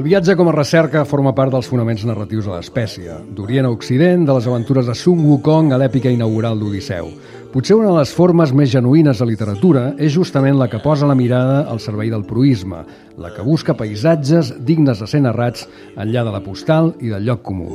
viatge com a recerca forma part dels fonaments narratius de l'espècie, d'Orient a Occident, de les aventures de Sun Wukong a l'èpica inaugural d'Odisseu. Potser una de les formes més genuïnes de literatura és justament la que posa la mirada al servei del proïsme, la que busca paisatges dignes de ser narrats enllà de la postal i del lloc comú.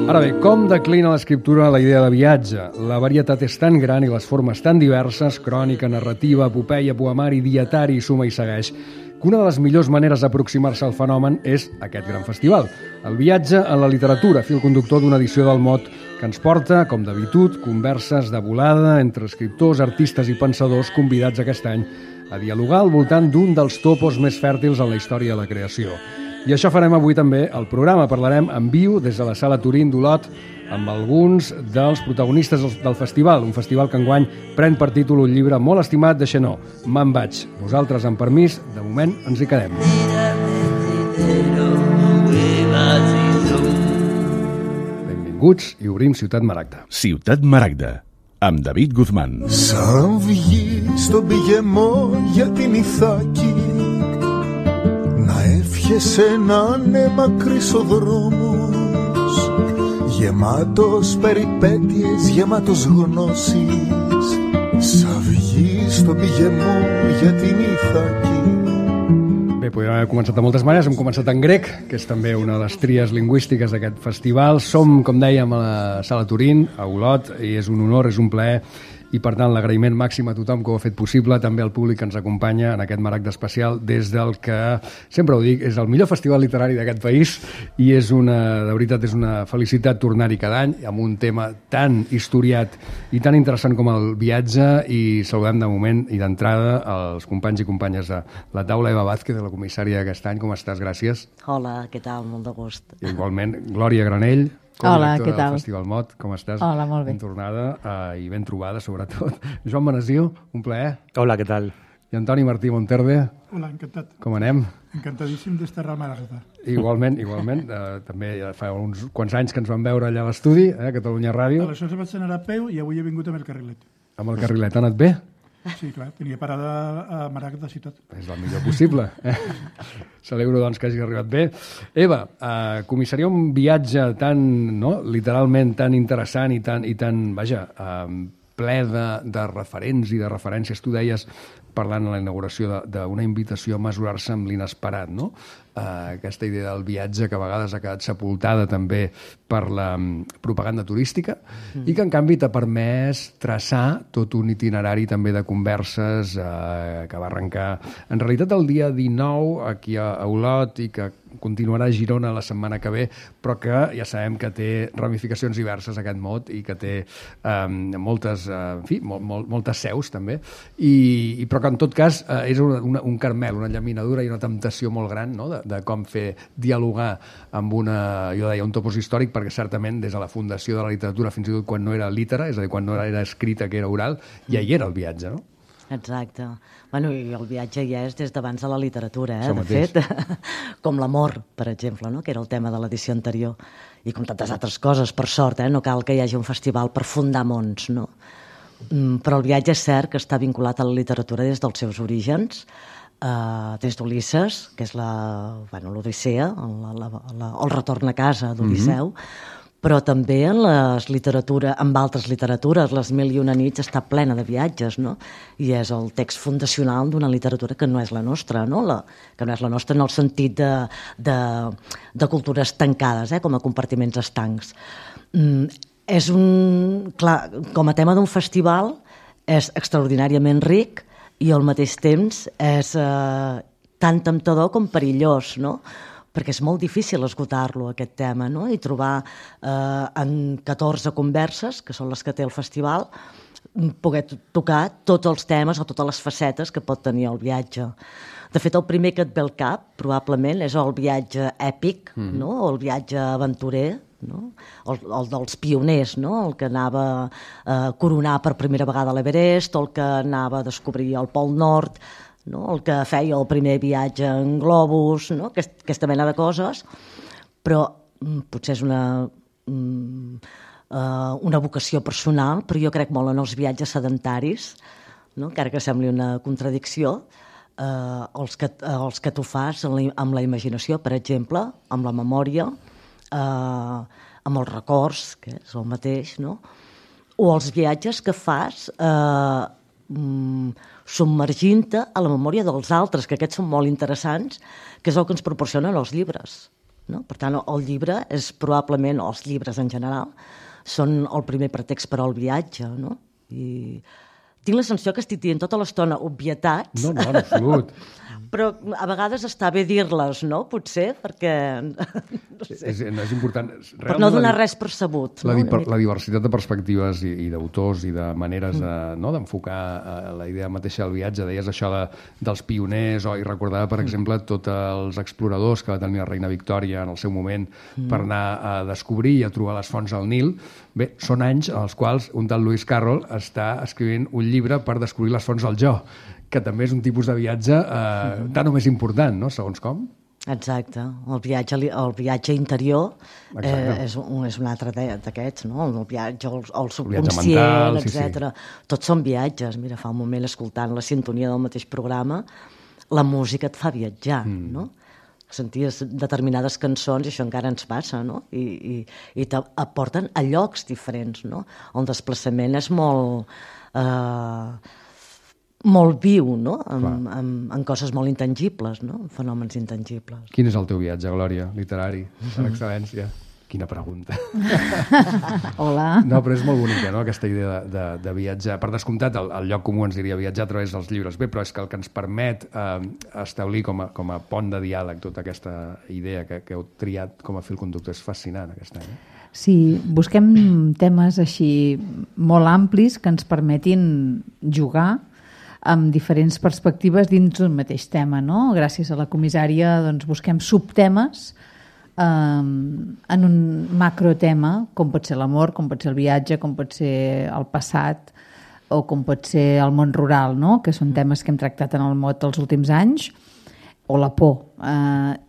Ara bé, com declina l'escriptura la idea de viatge? La varietat és tan gran i les formes tan diverses, crònica, narrativa, epopeia, poemari, dietari, suma i segueix, que una de les millors maneres d'aproximar-se al fenomen és aquest gran festival. El viatge en la literatura, fil conductor d'una edició del Mot que ens porta, com d'habitud, converses de volada entre escriptors, artistes i pensadors convidats aquest any a dialogar al voltant d'un dels topos més fèrtils en la història de la creació. I això farem avui també al programa. Parlarem en viu des de la Sala Turín d'Olot amb alguns dels protagonistes del festival, un festival que enguany pren per títol un llibre molt estimat de Xenó, Me'n vaig. Nosaltres, amb permís, de moment ens hi quedem. Benvinguts i obrim Ciutat Maragda. Ciutat Maragda, amb David Guzmán. Σαν βγει στον πηγεμό για την Ιθάκη, να εύχεσαι να είναι μακρύς ο δρόμος, γεμάτος περιπέτειες, γεμάτος γνώσεις. Σαν βγει στον πηγεμό για την Ιθάκη. Bé, podríem haver començat de moltes maneres. Hem començat en grec, que és també una de les tries lingüístiques d'aquest festival. Som, com dèiem, a la Sala Turín, a Olot, i és un honor, és un plaer, i per tant l'agraïment màxim a tothom que ho ha fet possible, també al públic que ens acompanya en aquest Maragda especial des del que, sempre ho dic, és el millor festival literari d'aquest país i és de veritat és una felicitat tornar-hi cada any amb un tema tan historiat i tan interessant com el viatge, i saludem de moment i d'entrada els companys i companyes de la taula. Eva Vázquez, la comissària d'aquest any, com estàs? Gràcies. Hola, què tal? Molt de gust. Igualment, Glòria Granell, Hola, què del tal? Festival Mot, com estàs? Hola, molt bé. Ben tornada i ben trobada, sobretot. Joan Benasiu, un plaer. Hola, ¿qué tal? I Antoni Martí Monterde. Hola, encantat. Com anem? Encantadíssim d'estar a Maragda. Igualment. També ja fa uns quants anys que ens vam veure allà a l'estudi, a Catalunya Ràdio. Aleshores vaig anar a peu i avui he vingut amb el carrilet. Amb el carrilet ha anat bé? Sí, clar, tenia parada a Maragda ciutat. És el millor possible. Celebro, doncs, que hagi arribat bé. Eva, comissaria un viatge tan, no?, literalment tan interessant i tan vaja, ple de referents i de referències. Tu deies, parlant a la inauguració, d'una invitació a mesurar-se amb l'inesperat, no? Aquesta idea del viatge que a vegades ha quedat sepultada també per la propaganda turística i que en canvi t'ha permès traçar tot un itinerari també de converses que va arrencar en realitat el dia 19 aquí a Olot i que continuarà a Girona la setmana que ve, però que ja sabem que té ramificacions diverses aquest mot i que té moltes seus també, però que en tot cas és un carmel, una llaminadura i una temptació molt gran, no?, de com fer dialogar amb jo deia, un topos històric, perquè certament des de la fundació de la literatura, fins i tot quan no era lítera, és a dir, quan no era escrita, que era oral, ja hi era el viatge, no? Exacte. Bueno, i el viatge ja és des d'abans de la literatura, Això de mateix. fet. Com l'amor, per exemple, no?, que era el tema de l'edició anterior. I com tantes altres coses, per sort, no cal que hi hagi un festival per fundar mons, no? Però el viatge és cert que està vinculat a la literatura des dels seus orígens, des d'Ulisses, que és l'Odissea, el retorn a casa d'Odisseu, però també en altres literatures, les Mil i una nits està plena de viatges, no? I és el text fundacional d'una literatura que no és la nostra, no? Que no és la nostra en el sentit de cultures tancades, com a compartiments estancs. Clar, com a tema d'un festival és extraordinàriament ric i al mateix temps és tan temptador com perillós, no? Perquè és molt difícil esgotar-lo, aquest tema, no? I trobar en 14 converses, que són les que té el festival, poder tocar tots els temes o totes les facetes que pot tenir el viatge. De fet, el primer que et ve al cap, probablement, és el viatge èpic, no? O el viatge aventurer, no? El dels pioners, no? El que anava a coronar per primera vegada l'Everest, o el que anava a descobrir el Pol Nord, no? El que feia el primer viatge en globus, no? Aquesta mena de coses, però potser és una una vocació personal, però jo crec molt en els viatges sedentaris, no? Encara que sembli una contradicció, els que tu fas amb la imaginació, per exemple, amb la memòria, amb els records, que és el mateix, no? O els viatges que fas submergint-te a la memòria dels altres, que aquests són molt interessants, que és el que ens proporcionen els llibres. No? Per tant, el llibre és probablement, els llibres en general, són el primer pretext per al viatge, no? I tinc la sensació que estic dient tota l'estona obvietats. No, en absolut. Però a vegades està bé dir-les, no? Potser, perquè... No sé. És important. Per no donar res per sabut. La diversitat de perspectives i d'autors i de maneres d'enfocar la idea mateixa del viatge. Deies això dels pioners, i recordava, per exemple, tots els exploradors que va tenir la reina Victòria en el seu moment per anar a descobrir i a trobar les fonts al Nil. Bé, són anys en els quals un tal Lewis Carroll està escrivint un llibre per descobrir les fonts del jo, que també és un tipus de viatge tant o més important, no? Segons com. Exacte. El viatge interior és un altre d'aquests, no? El viatge al subconscient, etc. Tots són viatges. Mira, fa un moment, escoltant la sintonia del mateix programa, la música et fa viatjar, no? Senties determinades cançons, i això encara ens passa, no? I t'aporten a llocs diferents, no? El desplaçament és molt viu, no? En coses molt intangibles, no? En fenòmens intangibles. Quin és el teu viatge, Glòria, literari, per excel·lència? Quina pregunta. Hola. No, però és molt bonica, no?, aquesta idea de viatjar. Per descomptat, el lloc comú ens diria viatjar a través dels llibres. Bé, però és que el que ens permet establir com a pont de diàleg tota aquesta idea que heu triat com a fil conductor és fascinant, aquest any. Sí, busquem temes així molt amplis que ens permetin jugar amb diferents perspectives dins d'un mateix tema, no? Gràcies a la comissària doncs, busquem subtemes en un macrotema, com pot ser l'amor, com pot ser el viatge, com pot ser el passat o com pot ser el món rural, no? Que són temes que hem tractat en el mot els últims anys, o la por.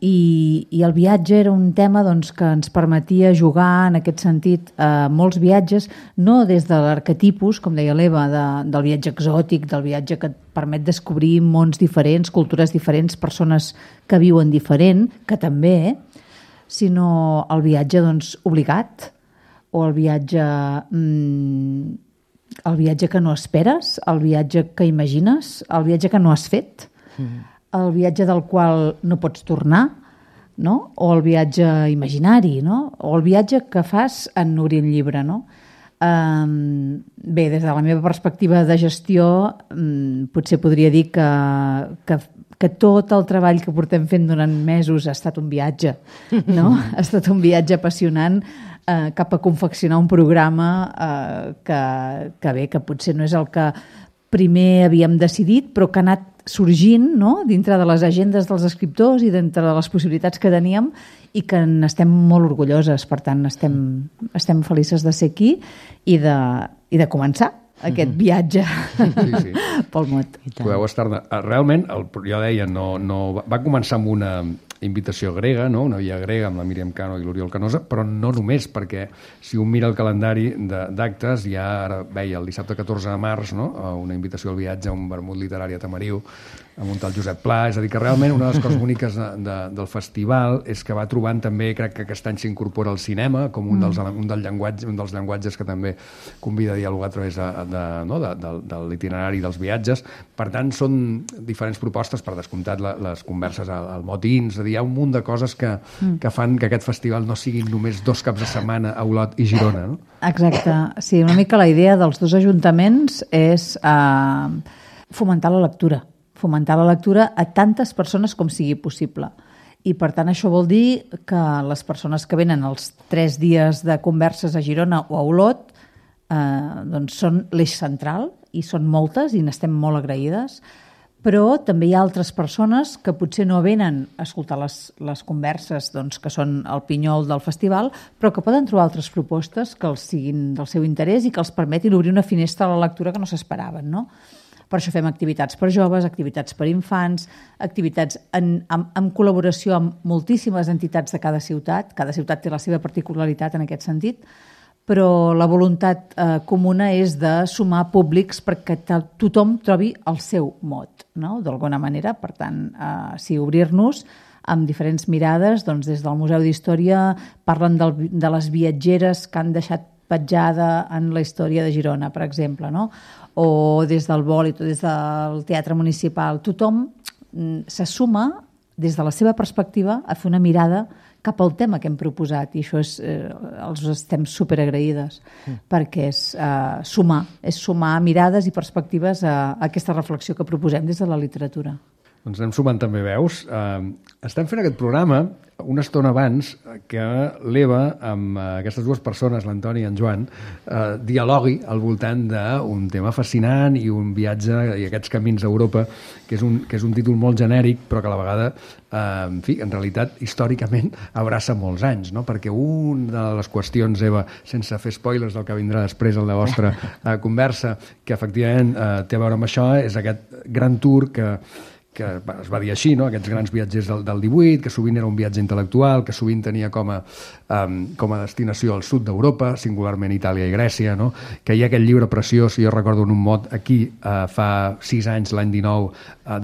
I el viatge era un tema doncs, que ens permetia jugar en aquest sentit molts viatges, no des de l'arquetipus, com deia l'Eva, del viatge exòtic, del viatge que et permet descobrir mons diferents, cultures diferents, persones que viuen diferent, que també, sinó el viatge doncs, obligat, o el viatge que no esperes, el viatge que imagines, el viatge que no has fet, el viatge del qual no pots tornar, no? O el viatge imaginari, no? O el viatge que fas en obrir un llibre, no? Bé, des de la meva perspectiva de gestió, potser podria dir que tot el treball que portem fent durant mesos ha estat un viatge, no? Ha estat un viatge apassionant cap a confeccionar un programa que potser no és el que primer havíem decidit, però que ha anat sorgint, no?, dintre de les agendes dels escriptors i dintre de les possibilitats que teníem i que n'estem molt orgulloses. Per tant, estem felices de ser aquí i de començar aquest viatge pel mot. Podeu estar-ne. Realment, jo deia, va començar amb una invitació grega, no? Una via grega amb la Míriam Cano i l'Oriol Canosa, però no només, perquè si un mira el calendari d'actes, ja ara veia el dissabte 14 de març, no?, una invitació al viatge a un vermut literari a Tamariu, amb un tal Josep Pla. És a dir, que realment una de les coses boniques del festival és que va trobant també, crec que aquest any s'incorpora el cinema com un dels llenguatges que també convida a dialogar a través de l'itinerari dels viatges. Per tant, són diferents propostes, per descomptat les converses al Motins, és a dir, hi ha un munt de coses que fan que aquest festival no siguin només 2 caps de setmana a Olot i Girona, no? Exacte. Sí, una mica la idea dels 2 ajuntaments és fomentar la lectura a tantes persones com sigui possible. I, per tant, això vol dir que les persones que venen els 3 dies de converses a Girona o a Olot doncs són l'eix central, i són moltes, i n'estem molt agraïdes, però també hi ha altres persones que potser no venen a escoltar les converses doncs, que són el pinyol del festival, però que poden trobar altres propostes que els siguin del seu interès i que els permetin obrir una finestra a la lectura que no s'esperaven, no? Per això fem activitats per joves, activitats per infants, activitats en col·laboració amb moltíssimes entitats de cada ciutat té la seva particularitat en aquest sentit, però la voluntat comuna és de sumar públics perquè tothom trobi el seu mot, no? D'alguna manera. Per tant, sí, obrir-nos amb diferents mirades. Doncs des del Museu d'Història parlen de les viatgeres que han deixat petjada en la història de Girona, per exemple, no? O des del Bòlit, o des del Teatre Municipal. Tothom se suma des de la seva perspectiva a fer una mirada cap al tema que hem proposat, i això els estem superagraïdes, perquè és sumar mirades i perspectives a aquesta reflexió que proposem des de la literatura. Doncs anem sumant també veus. Estem fent aquest programa una estona abans que l'Eva, amb aquestes dues persones, l'Antoni i en Joan, dialogui al voltant d'un tema fascinant i un viatge i aquests camins a Europa, que és un títol molt genèric, però que a la vegada, en fi, en realitat, històricament, abraça molts anys, no? Perquè una de les qüestions, Eva, sense fer spoilers del que vindrà després en la vostra conversa, que efectivament té a veure amb això, és aquest gran tour que es va dir així, no? Aquests grans viatgers del 18, que sovint era un viatge intel·lectual, que sovint tenia com a destinació al sud d'Europa, singularment Itàlia i Grècia, no? Que hi ha aquell llibre preciós, jo recordo en un mot aquí, fa 6 anys, l'any 19,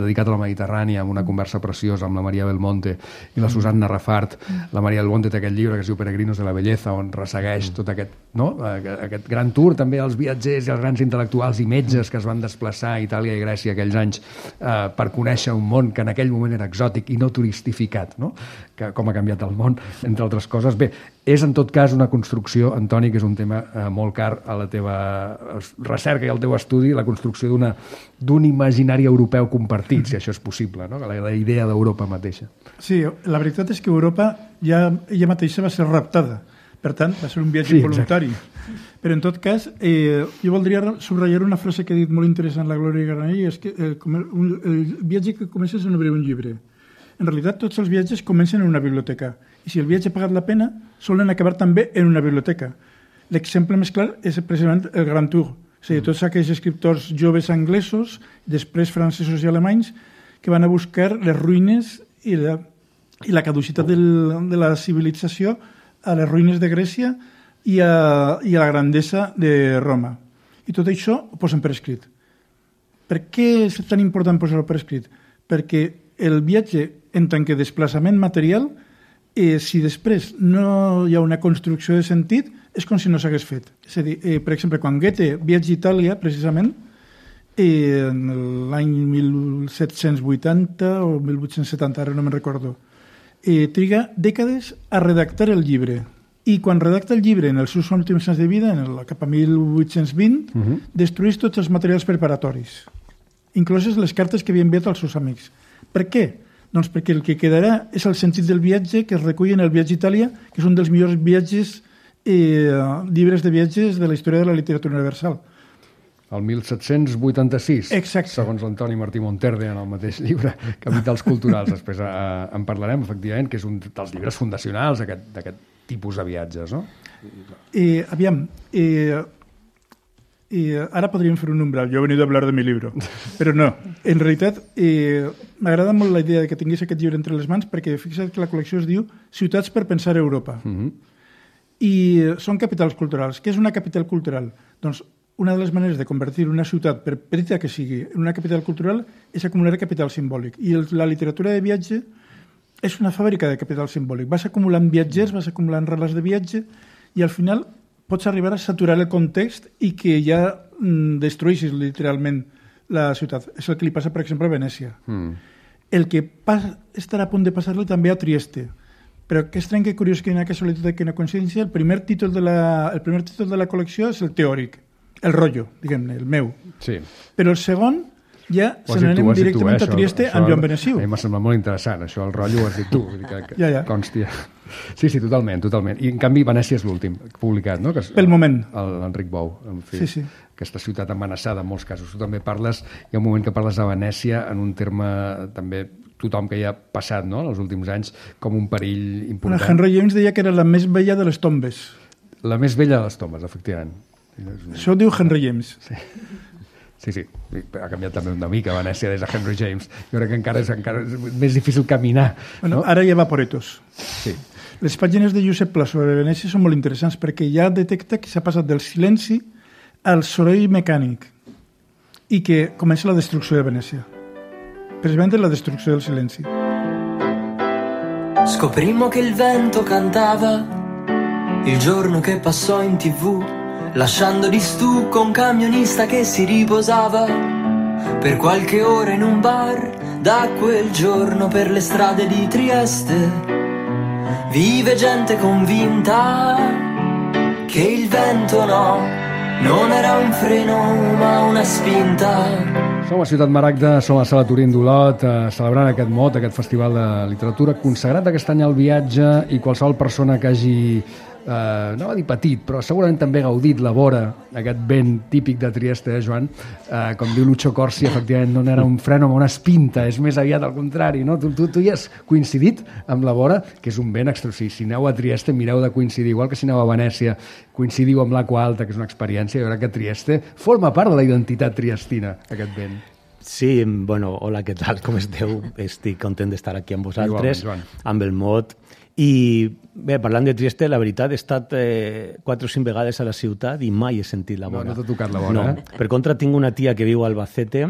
dedicat a la Mediterrània, amb una conversa preciosa amb la Maria Belmonte i la Susanna Rafart. La Maria Belmonte té aquest llibre que es diu Peregrinos de la Belleza, on ressegueix tot aquest gran tour, també els viatgers i els grans intel·lectuals i metges que es van desplaçar a Itàlia i Grècia aquells anys per conèixer un món que en aquell moment era exòtic i no turistificat, no? Que com ha canviat el món, entre altres coses. Bé, és en tot cas una construcció, Antoni, que és un tema molt car a la teva recerca i al teu estudi, la construcció d'un imaginari europeu compartit, si això és possible, no? La idea d'Europa mateixa. Sí, la veritat és que Europa ja ella mateixa va ser raptada. Per tant, va ser un viatge voluntari. Però, en tot cas, jo voldria subratllar una frase que ha dit molt interessant la Glòria Granell, és que el viatge que comença és en obrir un llibre. En realitat, tots els viatges comencen en una biblioteca. I si el viatge ha pagat la pena, solen acabar també en una biblioteca. L'exemple més clar és precisament el Grand Tour. És a dir, tots aquells escriptors joves anglesos, després francesos i alemanys, que van a buscar les ruïnes i la caducitat de la civilització a les ruïnes de Grècia i a la grandesa de Roma. I tot això ho posen per escrit. Per què és tan important posar-ho per escrit? Perquè el viatge, en tant que desplaçament material, si després no hi ha una construcció de sentit, és com si no s'hagués fet. És a dir, per exemple, quan Goethe viatja a Itàlia, precisament, l'any 1780 o 1870, ara no me'n recordo, triga dècades a redactar el llibre. I quan redacta el llibre en els seus últims anys de vida, cap a 1820, destrueix tots els materials preparatoris, incloses les cartes que havia enviat als seus amics. Per què? Doncs perquè el que quedarà és el sentit del viatge que es recull en el Viatge a Itàlia, que és un dels millors llibres de viatges de la història de la literatura universal. El 1786, exacte, segons l'Antoni Martí Monterde en el mateix llibre, Capitals culturals. Després en parlarem, efectivament, que és un dels llibres fundacionals d'aquest tipus de viatges, no? Aviam, ara podríem fer un umbral. Jo he venido a hablar de mi libro, però no. En realitat, m'agrada molt la idea que tingués aquest llibre entre les mans, perquè fixa't que la col·lecció es diu Ciutats per pensar a Europa. I són capitals culturals. Què és una capital cultural? Doncs una de les maneres de convertir una ciutat, per petita que sigui, en una capital cultural és acumular capital simbòlic. I la literatura de viatge és una fàbrica de capital simbòlic. Vas acumulant viatgers, vas acumulant relats de viatge i al final pots arribar a saturar el context i que ja destrueixis literalment la ciutat. És el que li passa, per exemple, a Venècia. El que estarà a punt de passar-li també a Trieste. Però que estrany, que curiós, que una casualitat, que una coincidència, el primer títol de la col·lecció és el teòric, el rotllo, diguem-ne, el meu. Sí. Però el segon ja se n'anem directament a Trieste amb Joan Benessiu. A mi m'ha semblat molt interessant, això, el rotllo ho has dit tu. Ja. Consti. Sí, totalment. I en canvi Venècia és l'últim publicat, no? Pel moment. L'Enric Bou, en fi. Sí. Aquesta ciutat amenaçada en molts casos. Tu també parles, hi ha un moment que parles de Venècia en un terme també tothom que hi ha passat, no?, els últims anys, com un perill important. Henry James deia que era la més vella de les tombes. La més vella de les tombes, efectivament. Això ho diu Henry James. Sí. Ha canviat també una mica Venècia des de Henry James. Jo crec que encara és més difícil caminar. Bueno, no? Ara hi ha vaporetos. Sí. Les pàgines de Josep Pla sobre Venècia són molt interessants perquè ja detecta que s'ha passat del silenci al soroll mecànic i que comença la destrucció de Venècia. Precisamente la destrucció del silenci. Scoprimmo che il vento cantava il giorno che passò in TV, lasciando di stucco un camionista che si riposava per qualche ora in un bar. Da quel giorno per le strade di Trieste vive gente convinta che il vento non era un freno ma una spinta. Som a Ciutat Maragda, som a Sala Turín d'Olot, celebrant aquest MOT, aquest festival de literatura, consagrat aquest any al viatge, i qualsevol persona que hagi, no va dir petit, però segurament també gaudit la vora, aquest vent típic de Trieste, Joan, com diu Lucho Corsi, efectivament no era un freno, una espinta, és més aviat al contrari, no? Tu hi has coincidit amb la vora, que és un vent extraordinari. Si aneu a Trieste, mireu de coincidir, igual que si aneu a Venècia, coincidiu amb l'Aqua Alta, que és una experiència, i veurà que Trieste forma part de la identitat triestina, aquest vent. Sí, bueno, hola, què tal, com esteu? Estic content d'estar aquí amb vosaltres, amb el MOT. I bé, parlant de Trieste, la veritat, he estat 4 o 5 vegades a la ciutat i mai he sentit la vora. No t'ha tocat la vora, no. Per contra, tinc una tia que viu a Albacete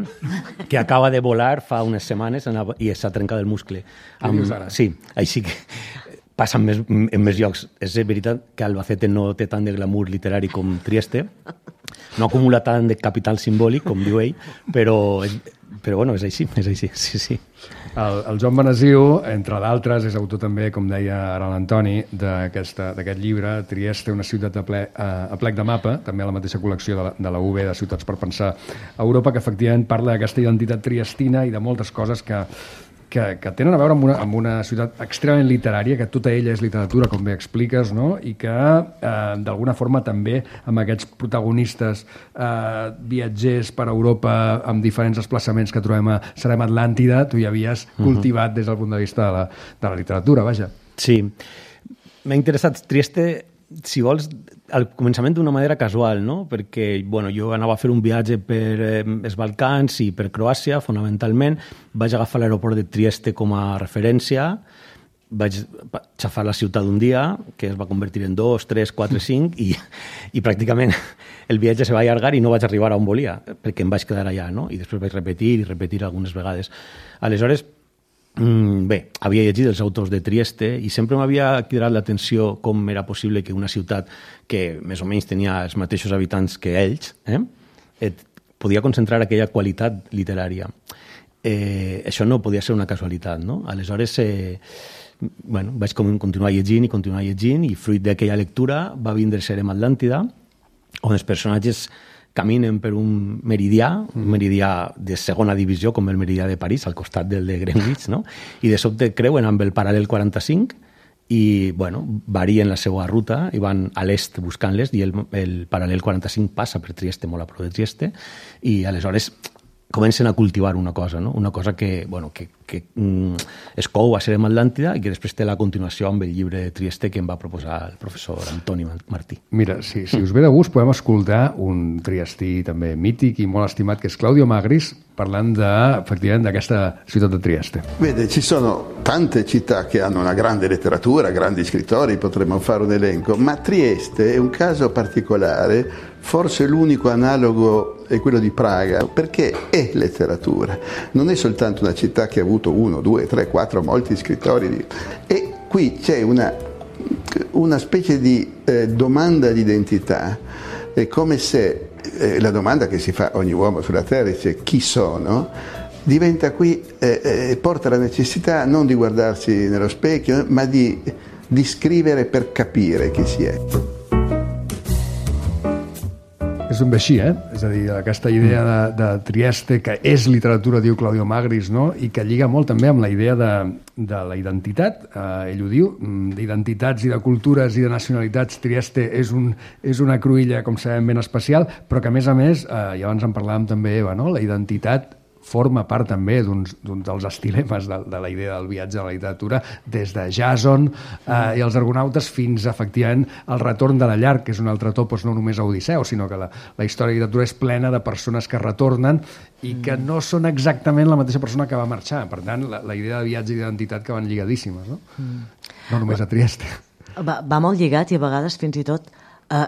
que acaba de volar fa unes setmanes i s'ha trencat el muscle. Què dius ara? Sí, així que passa en més llocs. És veritat que Albacete no té tant de glamour literari com Trieste, no acumula tant de capital simbòlic, com diu ell, però bueno, és així, sí. El Joan Benesiu, entre d'altres, és autor també, com deia ara l'Antoni, d'aquest llibre, Trieste, una ciutat a plec de mapa, també a la mateixa col·lecció de la UB, de Ciutats per Pensar a Europa, que efectivament parla d'aquesta identitat triestina i de moltes coses que tenen a veure amb una ciutat extremadament literària, que tota ella és literatura, com bé expliques, no? I que d'alguna forma també amb aquests protagonistes viatgers per Europa amb diferents desplaçaments que trobem a Serem Atlàntida, tu hi havies cultivat des del punt de vista de la literatura, vaja. Sí, m'ha interessat Trieste, si vols, al començament d'una manera casual, no? Perquè bueno, jo anava a fer un viatge per els Balcans i per Croàcia, fonamentalment. Vaig agafar l'aeroport de Trieste com a referència, vaig xafar la ciutat un dia, que es va convertir en 2, 3, 4, 5, i pràcticament el viatge se va allargar i no vaig arribar on volia, perquè em vaig quedar allà, no? I després vaig repetir algunes vegades. Aleshores, bé, havia llegit els autors de Trieste i sempre m'havia cridat l'atenció com era possible que una ciutat que més o menys tenia els mateixos habitants que ells podia concentrar aquella qualitat literària. Això no podia ser una casualitat, no? Aleshores, bueno, vaig continuar llegint i fruit d'aquella lectura va vindre Serem Atlàntida, on els personatges caminen per un meridià de segona divisió, com el meridià de París, al costat del de Greenwich, no? I de sobte creuen amb el paral·lel 45 i, bueno, varien la seva ruta i van a l'est buscant-les i el paral·lel 45 passa per Trieste, molt a prop de Trieste, i aleshores comencen a cultivar una cosa, no? Una cosa que, bueno, que es cou a Serem Atlàntida i que després té la continuació amb el llibre de Trieste que em va proposar el professor Antoni Martí. Mira, si us ve de gust, podem escoltar un triestí també mític i molt estimat, che è Claudio Magris, parlant effectivament d'aquesta ciutat de Trieste. Vede, ci sono tante città che hanno una grande letteratura, grandi scrittori, potremmo fare un elenco, ma Trieste è un caso particolare, forse l'unico analogo è quello di Praga, perché è letteratura, non è soltanto una città che ha avuto 1, 2, 3, 4, molti scrittori, e qui c'è una specie di domanda di identità, è come se la domanda che si fa ogni uomo sulla terra, dice chi sono, diventa qui, porta la necessità non di guardarsi nello specchio, ma di scrivere per capire chi si è. És ben bé així, És a dir, aquesta idea de Trieste, que és literatura, diu Claudio Magris, no? I que lliga molt també amb la idea de la identitat, ell ho diu, d'identitats i de cultures i de nacionalitats. Trieste és una cruïlla, com sabem, ben especial, però que a més, i abans en parlàvem també, Eva, no? La identitat forma part també d'un dels estilemes de la idea del viatge a la literatura, des de Jason i els argonautes fins, efectivament, al retorn de la llar, que és un altre topos, no només a Odisseu, sinó que la història de la literatura és plena de persones que retornen i que no són exactament la mateixa persona que va marxar. Per tant, la idea de viatge i d'identitat que van lligadíssimes, no? No només a Trieste. Va molt lligat i a vegades fins i tot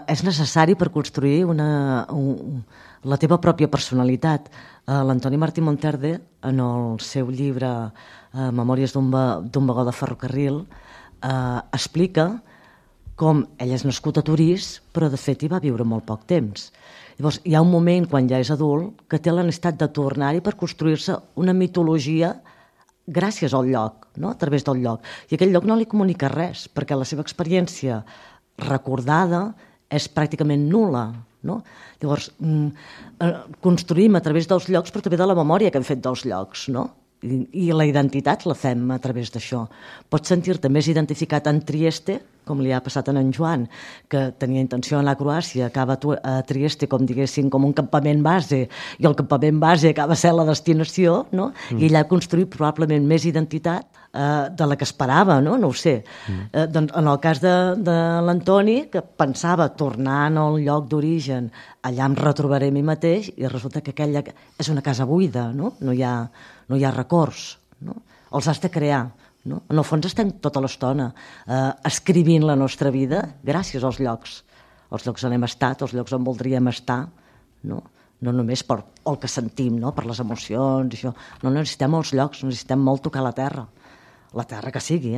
és necessari per construir la teva pròpia personalitat. L'Antoni Martí Monterde, en el seu llibre Memòries d'un vagó de ferrocarril, explica com ell és nascut a Torís, però de fet hi va viure molt poc temps. Llavors, hi ha un moment, quan ja és adult, que té la necessitat de tornar-hi per construir-se una mitologia gràcies al lloc, no? A través del lloc. I aquell lloc no li comunica res, perquè la seva experiència recordada és pràcticament nul·la, no? Llavors, construïm a través dels llocs, però també de la memòria que hem fet dels llocs, no? I la identitat la fem a través d'això. Pots sentir-te més identificat en Trieste, com li ha passat a en Joan, que tenia intenció d'anar a Croàcia, acaba a Trieste, com diguéssim, com un campament base, i el campament base acaba sent la destinació, no? I ella ha construït probablement més identitat de la que esperava, no? No ho sé. Doncs en el cas de l'Antoni, que pensava tornar al lloc d'origen, allà em retrobaré a mi mateix, i resulta que aquella és una casa buida, no? No hi ha records, no? Els has de crear, no? En el fons estem tota l'estona escrivint la nostra vida gràcies als llocs on hem estat, als llocs on voldríem estar, no? No només per el que sentim, no? Per les emocions, això. No necessitem els llocs, necessitem molt tocar la terra que sigui,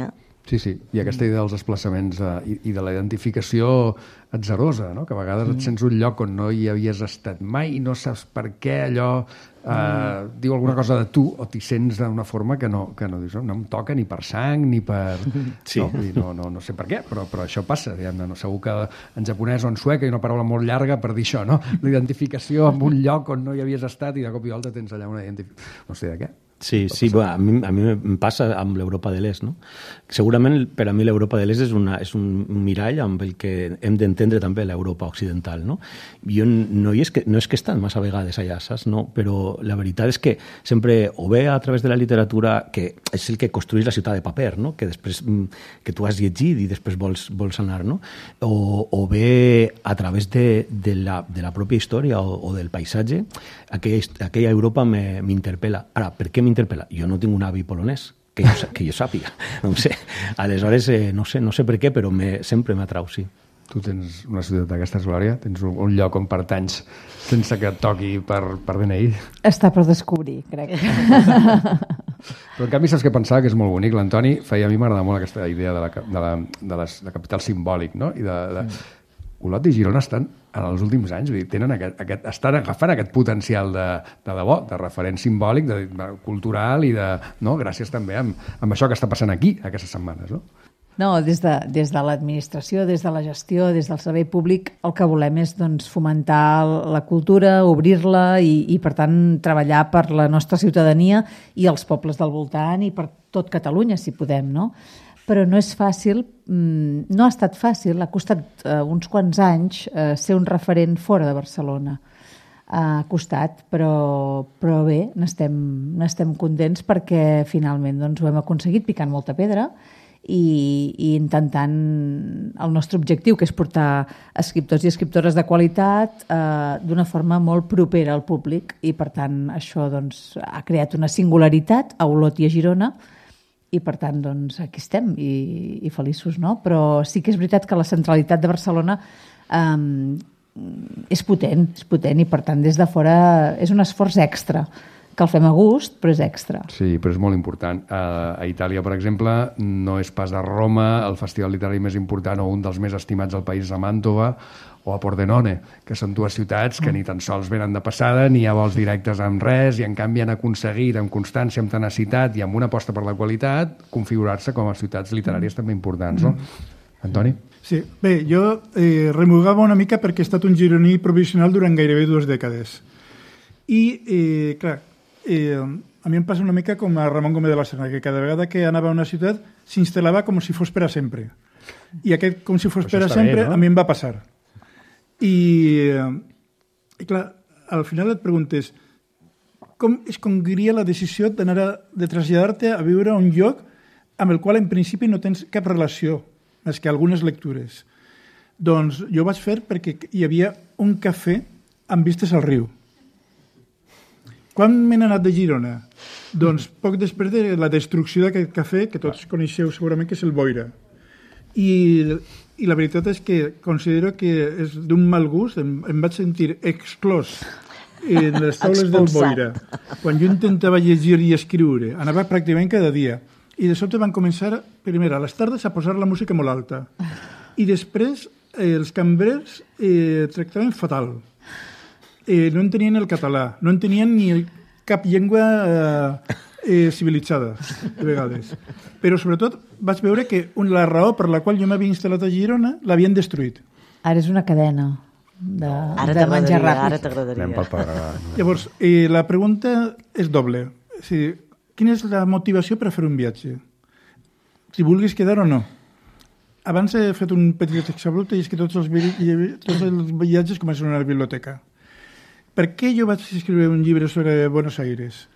Sí, i aquesta idea dels desplaçaments i de la identificació atzarosa, no? Que a vegades et sents un lloc on no hi havies estat mai i no saps per què allò diu alguna cosa de tu, o t'hi sents d'una forma que no dius, no em toca ni per sang ni per... Sí. No sé per què, però això passa. No? Segur que en japonès o en suec hi ha una paraula molt llarga per dir això, no? La identificació amb un lloc on no hi havies estat i de cop i volta tens allà una identificació. No sé de què. Sí, a mi em passa amb l'Europa de l'Est, no? Segurament per a mi l'Europa de l'Est és un mirall amb el que hem d'entendre també l'Europa occidental, no? Jo no és que he estat massa vegades allà, saps? No? Però la veritat és que sempre, o bé a través de la literatura, que és el que construeix la ciutat de paper, no? Que després que tu has llegit i després vols anar, no? O bé a través de la pròpia història o del paisatge, aquella Europa m'interpel·la. Ara, per què m'interpel·la? Jo no tinc un avi polonès, que jo sàpiga. No sé. Aleshores, no sé per què, però sempre m'atrau, sí. Tu tens una ciutat d'aquestes, Glòria? Tens un lloc on pertanys sense que et toqui per DNI? Està per descobrir, crec. Però en canvi saps què pensava? Que és molt bonic. L'Antoni a mi m'agrada molt aquesta idea de la capital simbòlic, no? I Olot i Girona estan en els últims anys, tenen estan agafant aquest potencial de debò, de referent simbòlic, cultural i gràcies també amb això que està passant aquí aquestes setmanes, no? No, des de l'administració, des de la gestió, des del servei públic, el que volem és fomentar la cultura, obrir-la i, per tant, treballar per la nostra ciutadania i els pobles del voltant i per tot Catalunya, si podem, no? Però no és fàcil, no ha estat fàcil, ha costat uns quants anys ser un referent fora de Barcelona. Ha costat, però bé, n'estem contents perquè finalment ho hem aconseguit picant molta pedra i intentant el nostre objectiu, que és portar escriptors i escriptores de qualitat d'una forma molt propera al públic, i per tant això ha creat una singularitat a Olot i a Girona, i per tant aquí estem i feliços, no? Però sí que és veritat que la centralitat de Barcelona és potent i per tant des de fora és un esforç extra, que el fem a gust, però és extra. Sí, però és molt important. A Itàlia, per exemple, no és pas a Roma el festival literari més important o un dels més estimats del país, a Màntova, o a Pordenone, que són dues ciutats que ni tan sols venen de passada, ni hi ha vols directes amb res, i en canvi han aconseguit amb constància, amb tenacitat i amb una aposta per la qualitat, configurar-se com a ciutats literàries també importants, no? Antoni? Sí, bé, jo remugava una mica perquè he estat un gironí provisional durant gairebé 2 dècades. I, clar, a mi em passa una mica com a Ramon Gómez de la Serna, que cada vegada que anava a una ciutat s'instal·lava com si fos per a sempre. I aquest com si fos per a sempre a mi em va passar. I clar, al final et preguntes com es congria la decisió de traslladar-te a viure a un lloc amb el qual en principi no tens cap relació, més que algunes lectures. Doncs jo ho vaig fer perquè hi havia un cafè amb vistes al riu. Quan m'he anat de Girona? Doncs poc després de la destrucció d'aquest cafè, que tots coneixeu segurament que és el Boira. I la veritat és que considero que és d'un mal gust, em vaig sentir exclòs en les taules del Boira. Quan jo intentava llegir i escriure, anava pràcticament cada dia. I de sobte van començar, primer, a les tardes, a posar la música molt alta. I després els cambrers tractaven fatal. No entenien el català, no entenien ni cap llengua civilitzada, de vegades. Però, sobretot, vaig veure que la raó per la qual jo m'havia instal·lat a Girona l'havien destruït. Ara és una cadena de menjar ràpid. Ara t'agradaria. Llavors, la pregunta és doble. O sigui, quina és la motivació per a fer un viatge? Si vulguis quedar o no. Abans he fet un petit exabrupte i és que tots els viatges comencen a una biblioteca. Per què jo vaig escriure un llibre sobre Buenos Aires?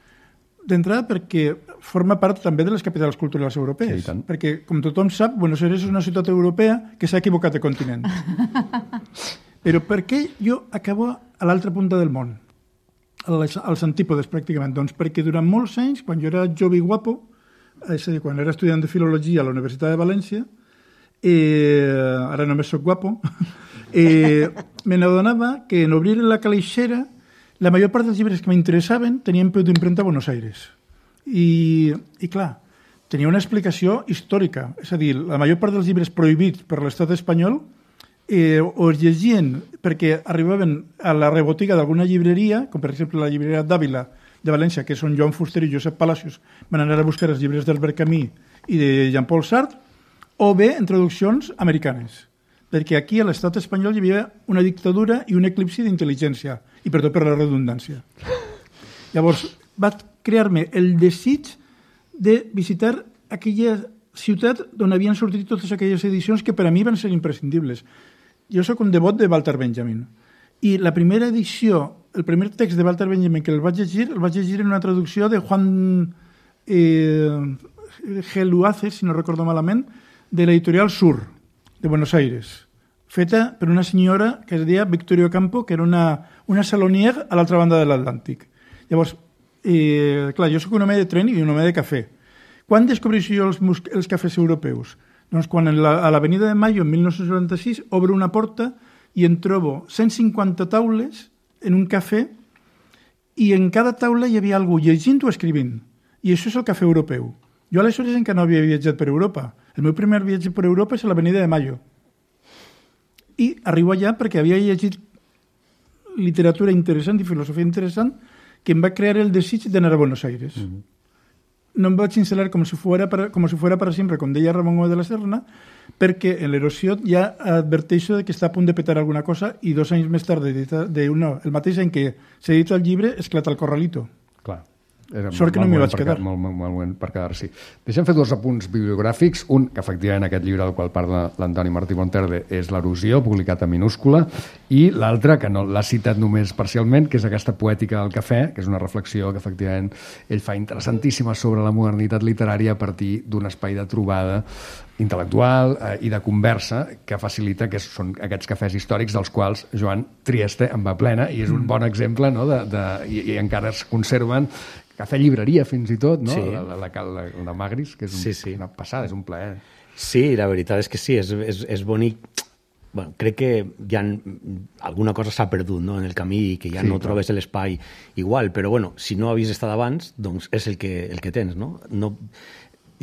D'entrada perquè forma part també de les capitals culturals europees. Sí, perquè, com tothom sap, Buenos Aires és una ciutat europea que s'ha equivocat de continent. Però per què jo acabo a l'altra punta del món? Als antípodes, pràcticament. Doncs perquè durant molts anys, quan jo era jove i guapo, és a dir, quan era estudiant de filologia a la Universitat de València, ara només soc guapo, me n'adonava que en obrir la calixera la major part dels llibres que m'interessaven tenien peu d'impremta a Buenos Aires. I clar, tenia una explicació històrica. És a dir, la major part dels llibres prohibits per l'estat espanyol o es llegien perquè arribaven a la rebotiga d'alguna llibreria, com per exemple la llibreria d'Àvila de València, que són Joan Fuster i Josep Palacios, van anar a buscar els llibres d'Albert Camus i de Jean-Paul Sartre, o bé en traduccions americanes, perquè aquí a l'estat espanyol hi havia una dictadura i un eclipsi d'intel·ligència, i perdó per la redundància. Llavors, va crear-me el desig de visitar aquella ciutat d'on havien sortit totes aquelles edicions que per a mi van ser imprescindibles. Jo sóc un devot de Walter Benjamin, i la primera edició, el primer text de Walter Benjamin que el vaig llegir en una traducció de Juan G. Luaces, si no recordo malament, de l'editorial Sur, de Buenos Aires, feta per una senyora que es deia Victoria Campo, que era una salonier a l'altra banda de l'Atlàntic. Llavors, clar, jo sóc un home de tren i un home de cafè. Quan descobreixo jo els cafès europeus? Doncs quan a l'Avenida de Mayo, en 1996, obro una porta i en trobo 150 taules en un cafè i en cada taula hi havia algú llegint o escrivint. I això és el cafè europeu. Jo aleshores encara no havia viatjat per Europa. El meu primer viatge per Europa és a l'Avenida de Mayo. I arribo allà perquè havia llegit literatura interessant i filosofia interessant que em va crear el desig d'anar a Buenos Aires. No em vaig instal·lar com si fuera para sempre, com deia Ramon Gómez de la Serna, perquè en l'erosió ja adverteixo que està a punt de petar alguna cosa i 2 anys més tard, el mateix any que s'edita el llibre, esclata el Corralito. Clar. Sort que no m'hi vaig quedar. Molt moment per quedar-s'hi. Deixem fer 2 apunts bibliogràfics. Un, que efectivament aquest llibre del qual parla l'Antoni Martí Monterde és L'erosió, publicat en minúscula, i l'altre, que no l'ha citat només parcialment, que és aquesta poètica del cafè, que és una reflexió que efectivament ell fa interessantíssima sobre la modernitat literària a partir d'un espai de trobada intel·lectual i de conversa que facilita que són aquests cafès històrics dels quals Joan Trieste en va plena i és un bon exemple, no? I encara es conserven cafè llibreria fins i tot, no? Sí. La de Magris, que és una passada, és un plaer. Sí, la veritat és que sí, és bonic. Bueno, crec que ja alguna cosa s'ha perdut, no? En el camí i que ja no trobes l'espai igual, però bueno, si no havies estat abans, doncs és el que tens, no?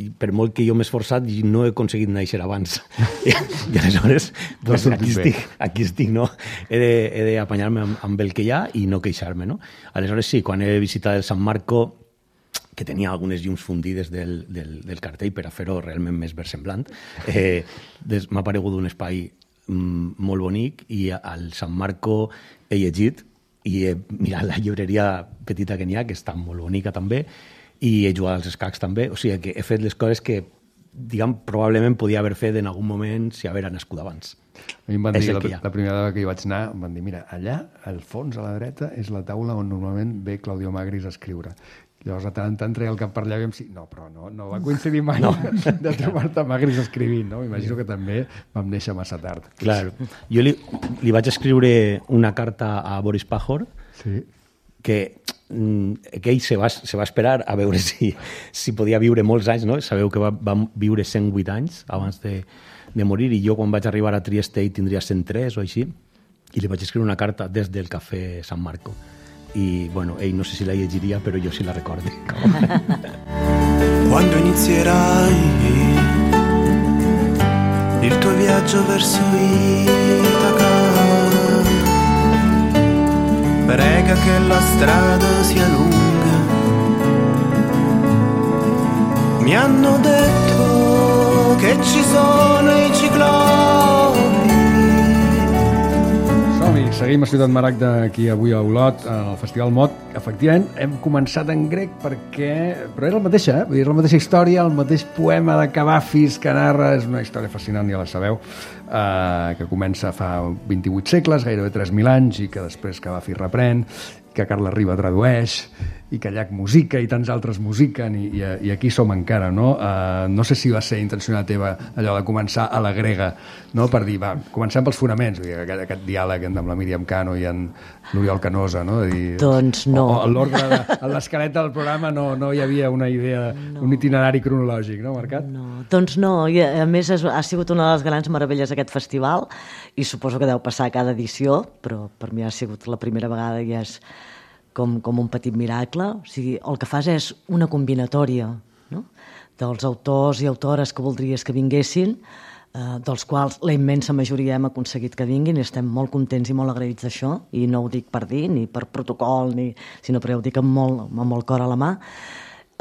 Per molt que jo m'he esforçat i no he aconseguit néixer abans. I aleshores, pues, aquí estic, no? He d'apanyar-me amb el que hi ha i no queixar-me, no? Aleshores sí, quan he visitat el San Marco, que tenia algunes llums fundides del cartell per a fer-ho realment més versemblant, m'ha aparegut un espai molt bonic i al San Marco he llegit i he mirat la llibreria petita que n'hi ha, que està molt bonica també, i he jugat als escacs també, o sigui que he fet les coses que diguem, probablement podia haver fet en algun moment si haver nascut abans. A mi em van dir, la primera vegada que hi vaig anar, em van dir, mira, allà, al fons, a la dreta, és la taula on normalment ve Claudio Magris a escriure. Llavors, de tant en tant, treia el cap per allà i vam dir, no, però no va coincidir mai de trobar-te Magris escrivint, no? M'imagino que també vam néixer massa tard. Clar, jo li vaig escriure una carta a Boris Pajor, que ell se va esperar a veure si podia viure molts anys, no? Sabeu que va viure 108 anys abans de morir, i jo quan vaig arribar a Trieste ell tindria 103 o així, i li vaig escriure una carta des del Cafè San Marco. I, bueno, ell no sé si la llegiria, però jo sí la recordo. Quando inizierai il tuo viaggio verso Itaca, prega che la strada sia lunga. Mi hanno detto che ci sono i ciclopi. Seguim a Ciutat Maragda aquí avui a Olot, al Festival Mot. Efectivament, hem començat en grec però era la mateixa, vull dir, la mateixa història, el mateix poema de Cavafis que narra, és una història fascinant, ja la sabeu, que comença fa 28 segles, gairebé 3.000 anys, i que després Cavafis reprèn, que Carles Riba tradueix, i que Llach musica i tants altres musiquen, i aquí som encara, no? No sé si va ser intencionat teva allò de començar a la grega, no? Per dir, va, comencem pels fonaments, vull dir, aquest diàleg amb la Míriam Cano i en l'Oriol Canosa, no? Dir, doncs no. A l'ordre, a l'esquelet del programa no hi havia una idea, un itinerari cronològic, no, Mercat? No, doncs no, i a més ha sigut una de les grans meravelles d'aquest festival, i suposo que deu passar a cada edició, però per mi ha sigut la primera vegada i és com un petit miracle. O sigui, el que fas és una combinatòria, no? Dels autors i autores que voldries que vinguessin, dels quals la immensa majoria hem aconseguit que vinguin, i estem molt contents i molt agraïts d'això, i no ho dic per dir, ni per protocol, sinó perquè ho dic amb molt cor a la mà.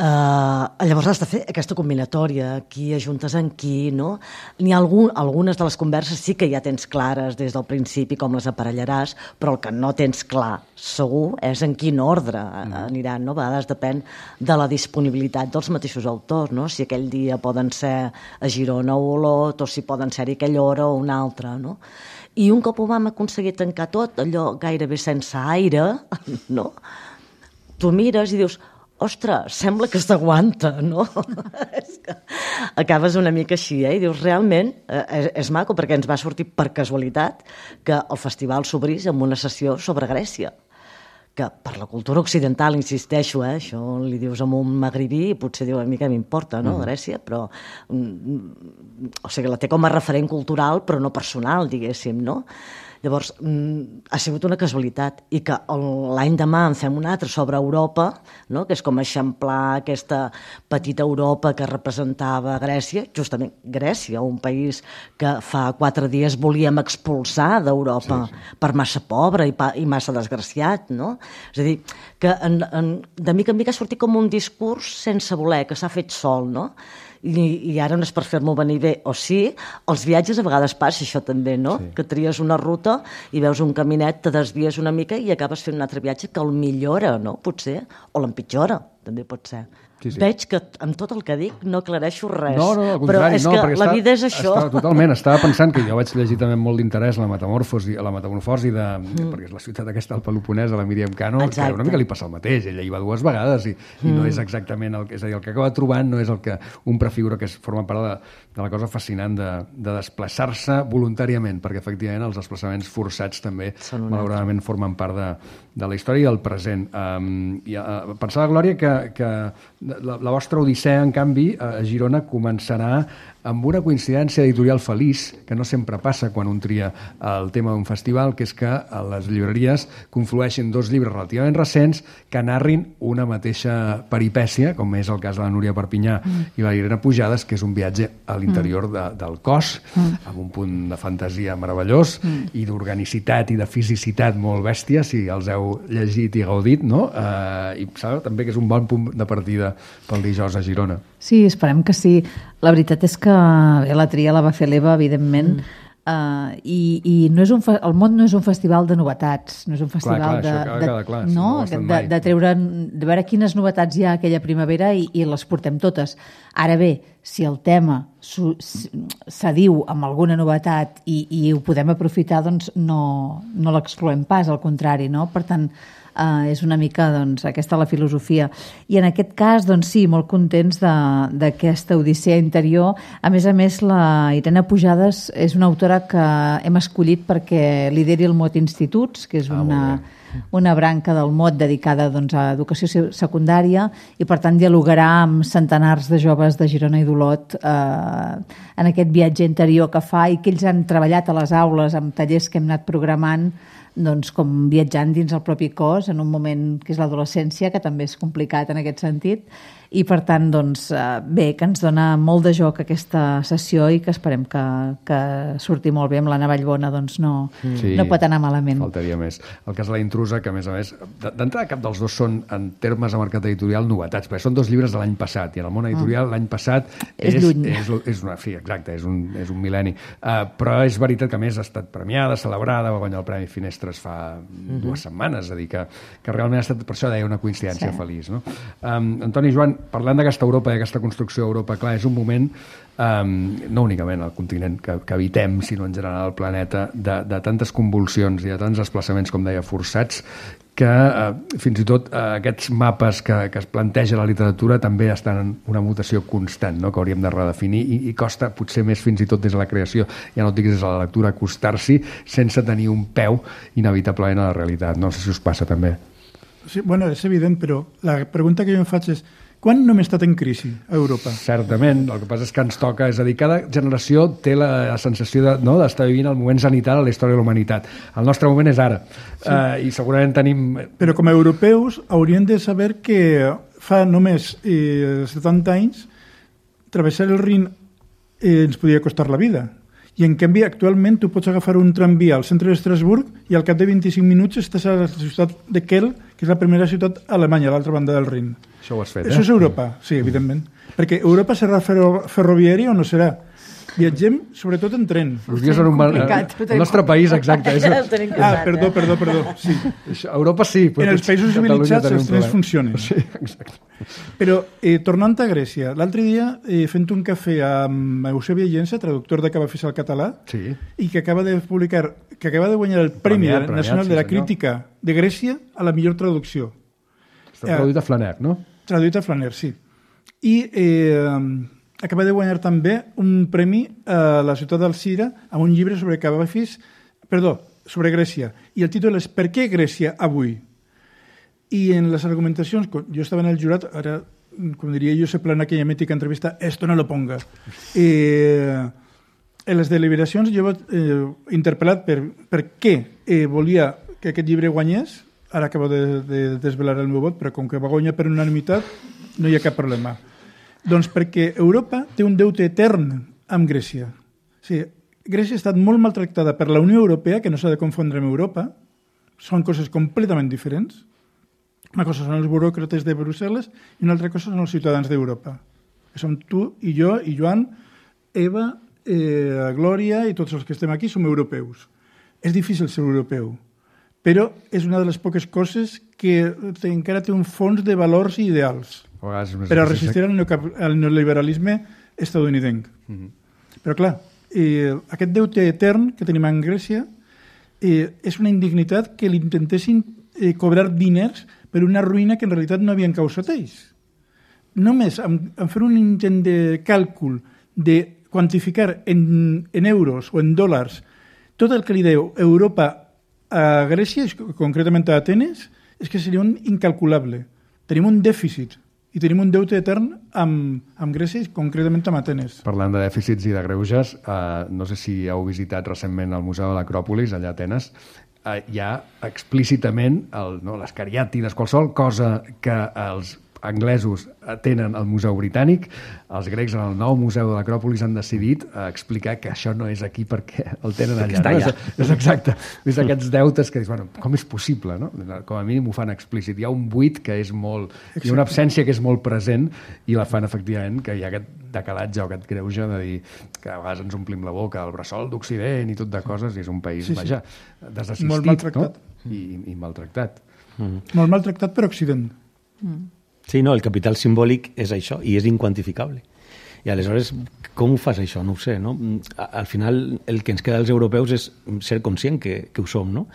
Llavors has de fer aquesta combinatòria, qui ajuntes en qui, no? N'hi ha algunes de les converses sí que ja tens clares des del principi com les aparellaràs, però el que no tens clar segur és en quin ordre aniran, no? A vegades depèn de la disponibilitat dels mateixos autors, no? Si aquell dia poden ser a Girona o Olot, o si poden ser-hi aquella hora o una altra, no? I un cop ho vam aconseguir tancar tot, allò gairebé sense aire, no? Tu mires i dius, ostres, sembla que s'aguanta, no? És que acabes una mica així, i dius, realment, és maco, perquè ens va sortir per casualitat que el festival s'obrís amb una sessió sobre Grècia, que per la cultura occidental, insisteixo, això li dius a un magribí i potser diu, a mi què m'importa, no, Grècia, però o sigui, la té com a referent cultural, però no personal, diguéssim, no? Llavors, ha sigut una casualitat, i que l'any demà en fem un altre sobre Europa, no? Que és com eixamplar aquesta petita Europa que representava Grècia, justament Grècia, un país que fa 4 dies volíem expulsar d'Europa per massa pobre i massa desgraciat, no? És a dir, que de mica en mica ha sortit com un discurs sense voler, que s'ha fet sol, no? I ara no és per fer-m'ho venir bé, o sí, els viatges a vegades passa això també, no? Que tries una ruta i veus un caminet, te desvies una mica i acabes fent un altre viatge que el millora, no? Potser, o l'empitjora, també pot ser. Veig que amb tot el que dic no aclareixo res. No, al contrari, però és que la vida és això. Totalment, estava pensant que jo vaig llegir també molt d'interès la metamorfosi perquè és la ciutat aquesta del Peloponès, a la Míriam Cano, que una mica li passa el mateix, ella hi va 2 vegades i no és exactament és a dir, el que acaba trobant no és el que un prefigura, que forma part de la cosa fascinant de desplaçar-se voluntàriament, perquè efectivament els desplaçaments forçats també malauradament formen part de la història i del present. Pensava, Glòria, que la vostra odissea, en canvi, a Girona començarà amb una coincidència editorial feliç, que no sempre passa quan un tria el tema d'un festival, que és que a les llibreries conflueixen 2 llibres relativament recents que narrin una mateixa peripècia, com és el cas de la Núria Perpinyà i la Irene Pujades, que és un viatge a l'interior del cos, amb un punt de fantasia meravellós i d'organicitat i de fisicitat molt bèstia, si els heu llegit i gaudit, no? I sabeu també que és un bon punt de partida pel dijous a Girona. Sí, esperem que sí. La veritat és que la tria la va fer l'Eva, evidentment. I no és el món no és un festival de novetats, no és un festival de treure, de veure quines novetats hi ha aquella primavera i les portem totes. Ara bé, si el tema s'adiu amb alguna novetat i ho podem aprofitar, doncs no l'excloem pas, al contrari, no? Per tant, és una mica aquesta la filosofia. I en aquest cas, sí, molt contents d'aquesta odissea interior. A més, la Irene Pujades és una autora que hem escollit perquè lideri el Mot Instituts, que és una branca del Mot dedicada a educació secundària i, per tant, dialogarà amb centenars de joves de Girona i d'Olot en aquest viatge interior que fa i que ells han treballat a les aules amb tallers que hem anat programant com viatjant dins el propi cos en un moment que és l'adolescència, que també és complicat en aquest sentit, i per tant, bé, que ens dona molt de joc aquesta sessió i que esperem que surti molt bé amb l'Anna Vallbona, no pot anar malament. Faltaria més. El cas de La intrusa, que a més, d'entrada cap dels dos són, en termes de mercat editorial, novetats, perquè són 2 llibres de l'any passat, i en el món editorial l'any passat és una fi, exacte, és un mil·lenni. Però és veritat que a més ha estat premiada, celebrada, va guanyar el Premi Finestres fa 2 setmanes, és a dir, que realment ha estat, per això deia, una coincidència feliç. No? Antoni, Joan, parlant d'aquesta Europa i d'aquesta construcció d'Europa, clar, és un moment, no únicament al continent que habitem, sinó en general al planeta, de tantes convulsions i de tants desplaçaments, com deia, forçats, que fins i tot aquests mapes que es planteja la literatura també estan en una mutació constant, no? Que hauríem de redefinir i costa potser més fins i tot des de la creació, ja no et dic des de la lectura, acostar-s'hi sense tenir un peu inevitablement a la realitat. No sé si us passa també. Sí, bueno, és evident, però la pregunta que jo em faig és: quan no hem estat en crisi a Europa? Certament, el que passa és que ens toca, és a dir, cada generació té la sensació d'estar vivint el moment zenital a la història de la humanitat. El nostre moment és ara, i segurament tenim... Però com a europeus hauríem de saber que fa només 70 anys travessar el Rin ens podia costar la vida. I en canvi, actualment, tu pots agafar un tramvia al centre d'Estrasburg i al cap de 25 minuts estàs a la ciutat de Kiel, que és la primera ciutat alemanya, a l'altra banda del Rin. Això ho has fet, Això és Europa, sí, evidentment. Perquè Europa serà ferroviària o no serà? Viatgem sobretot en tren. El nostre país, exacte. Perdó. Sí. Europa sí. En els països civilitzats els trens funcionen. Sí, exacte. Però, tornant a Grècia, l'altre dia, fent un cafè amb Eusebi Llença, traductor de Cabafis al català, i que acaba de publicar, que acaba de guanyar el Premi Nacional de la Crítica de Grècia a la millor traducció. Està traduït a Flaner, no? Traduït a Flaner, sí. I acaba de guanyar també un premi a la ciutat d'Alcira amb un llibre sobre sobre Grècia. I el títol és Per què Grècia avui? I en les argumentacions, jo estava en el jurat, ara, com diria jo, se plana aquella mítica entrevista, esto no lo ponga. En les deliberacions jo he interpel·lat per què volia que aquest llibre guanyés. Ara acabo de desvelar el meu vot, però com que va guanyar per unanimitat, no hi ha cap problema. Doncs perquè Europa té un deute etern amb Grècia. O sigui, Grècia ha estat molt maltractada per la Unió Europea, que no s'ha de confondre amb Europa. Són coses completament diferents. Una cosa són els buròcrates de Brussel·les i una altra cosa són els ciutadans d'Europa. Que som tu i jo i Joan, Eva, Glòria i tots els que estem aquí som europeus. És difícil ser europeu, però és una de les poques coses que encara té un fons de valors i ideals per a resistir al neoliberalisme estadounidenc. Però clar, aquest deute etern que tenim en Grècia és una indignitat que li intentessin cobrar diners per una ruïna que en realitat no havien causat ells. Només en fer un intent de càlcul de quantificar en euros o en dòlars tot el que li deu Europa a Grècia, concretament a Atenes, és que seria un incalculable. Tenim un dèficit i tenim un deute etern amb Grècia, concretament amb Atenes. Parlant de dèficits i de greuges, no sé si heu visitat recentment el Museu de l'Acròpolis, allà a Atenes, hi ha explícitament les cariàtides, qualsevol cosa que els anglesos tenen el Museu Britànic, els grecs en el nou Museu de l'Acròpolis han decidit explicar que això no és aquí perquè el tenen allà. Està allà. És exacte. És aquests deutes que dius, bueno, com és possible, no? Com a mínim ho fan explícit. Hi ha un buit que és molt... Hi ha una absència que és molt present i la fan, efectivament, que hi ha aquest decalatge o aquest greuge de dir que a vegades ens omplim la boca, el bressol d'Occident i tot de coses, i és un país, vaja, desassistit, molt maltractat. No? I maltractat. Molt maltractat per Occident. Sí, no, el capital simbòlic és això, i és inquantificable. I aleshores, com ho fas això? No ho sé, no? Al final, el que ens queda als europeus és ser conscient que ho som, no?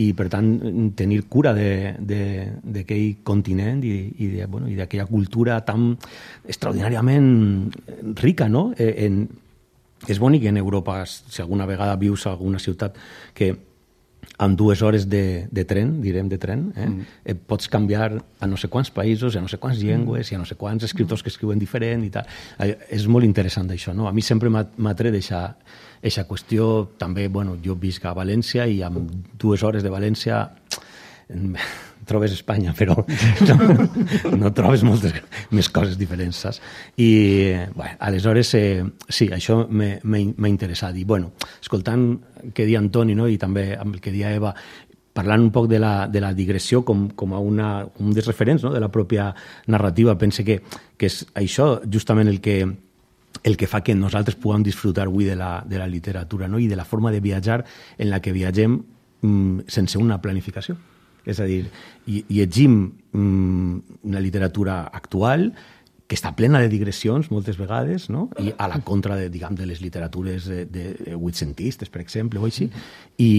I, per tant, tenir cura d'aquell continent i d'aquella cultura tan extraordinàriament rica, no? És bonic en Europa, si alguna vegada vius a alguna ciutat que amb 2 hores de tren, direm de tren, pots canviar a no sé quants països, a no sé quants llengües, i a no sé quants escriptors que escriuen diferent i tal. És molt interessant això, no? A mi sempre m'ha tret aquesta qüestió. També, bueno, jo visc a València i amb 2 hores de València trobes Espanya, però no trobes moltes més coses diferents, saps? I, bueno, aleshores, sí, això m'ha interessat. I, bueno, escoltant què dia Antoni, no?, i també amb el que dia Eva, parlant un poc de la digressió com a un dels referents, no?, de la pròpia narrativa, pense que és això justament el que fa que nosaltres puguem disfrutar avui de la literatura, no?, i de la forma de viatjar en la que viatgem sense una planificació. És a dir, llegim una literatura actual que està plena de digressions moltes vegades, no? I a la contra de les literatures de vuitcentistes, per exemple, o així, i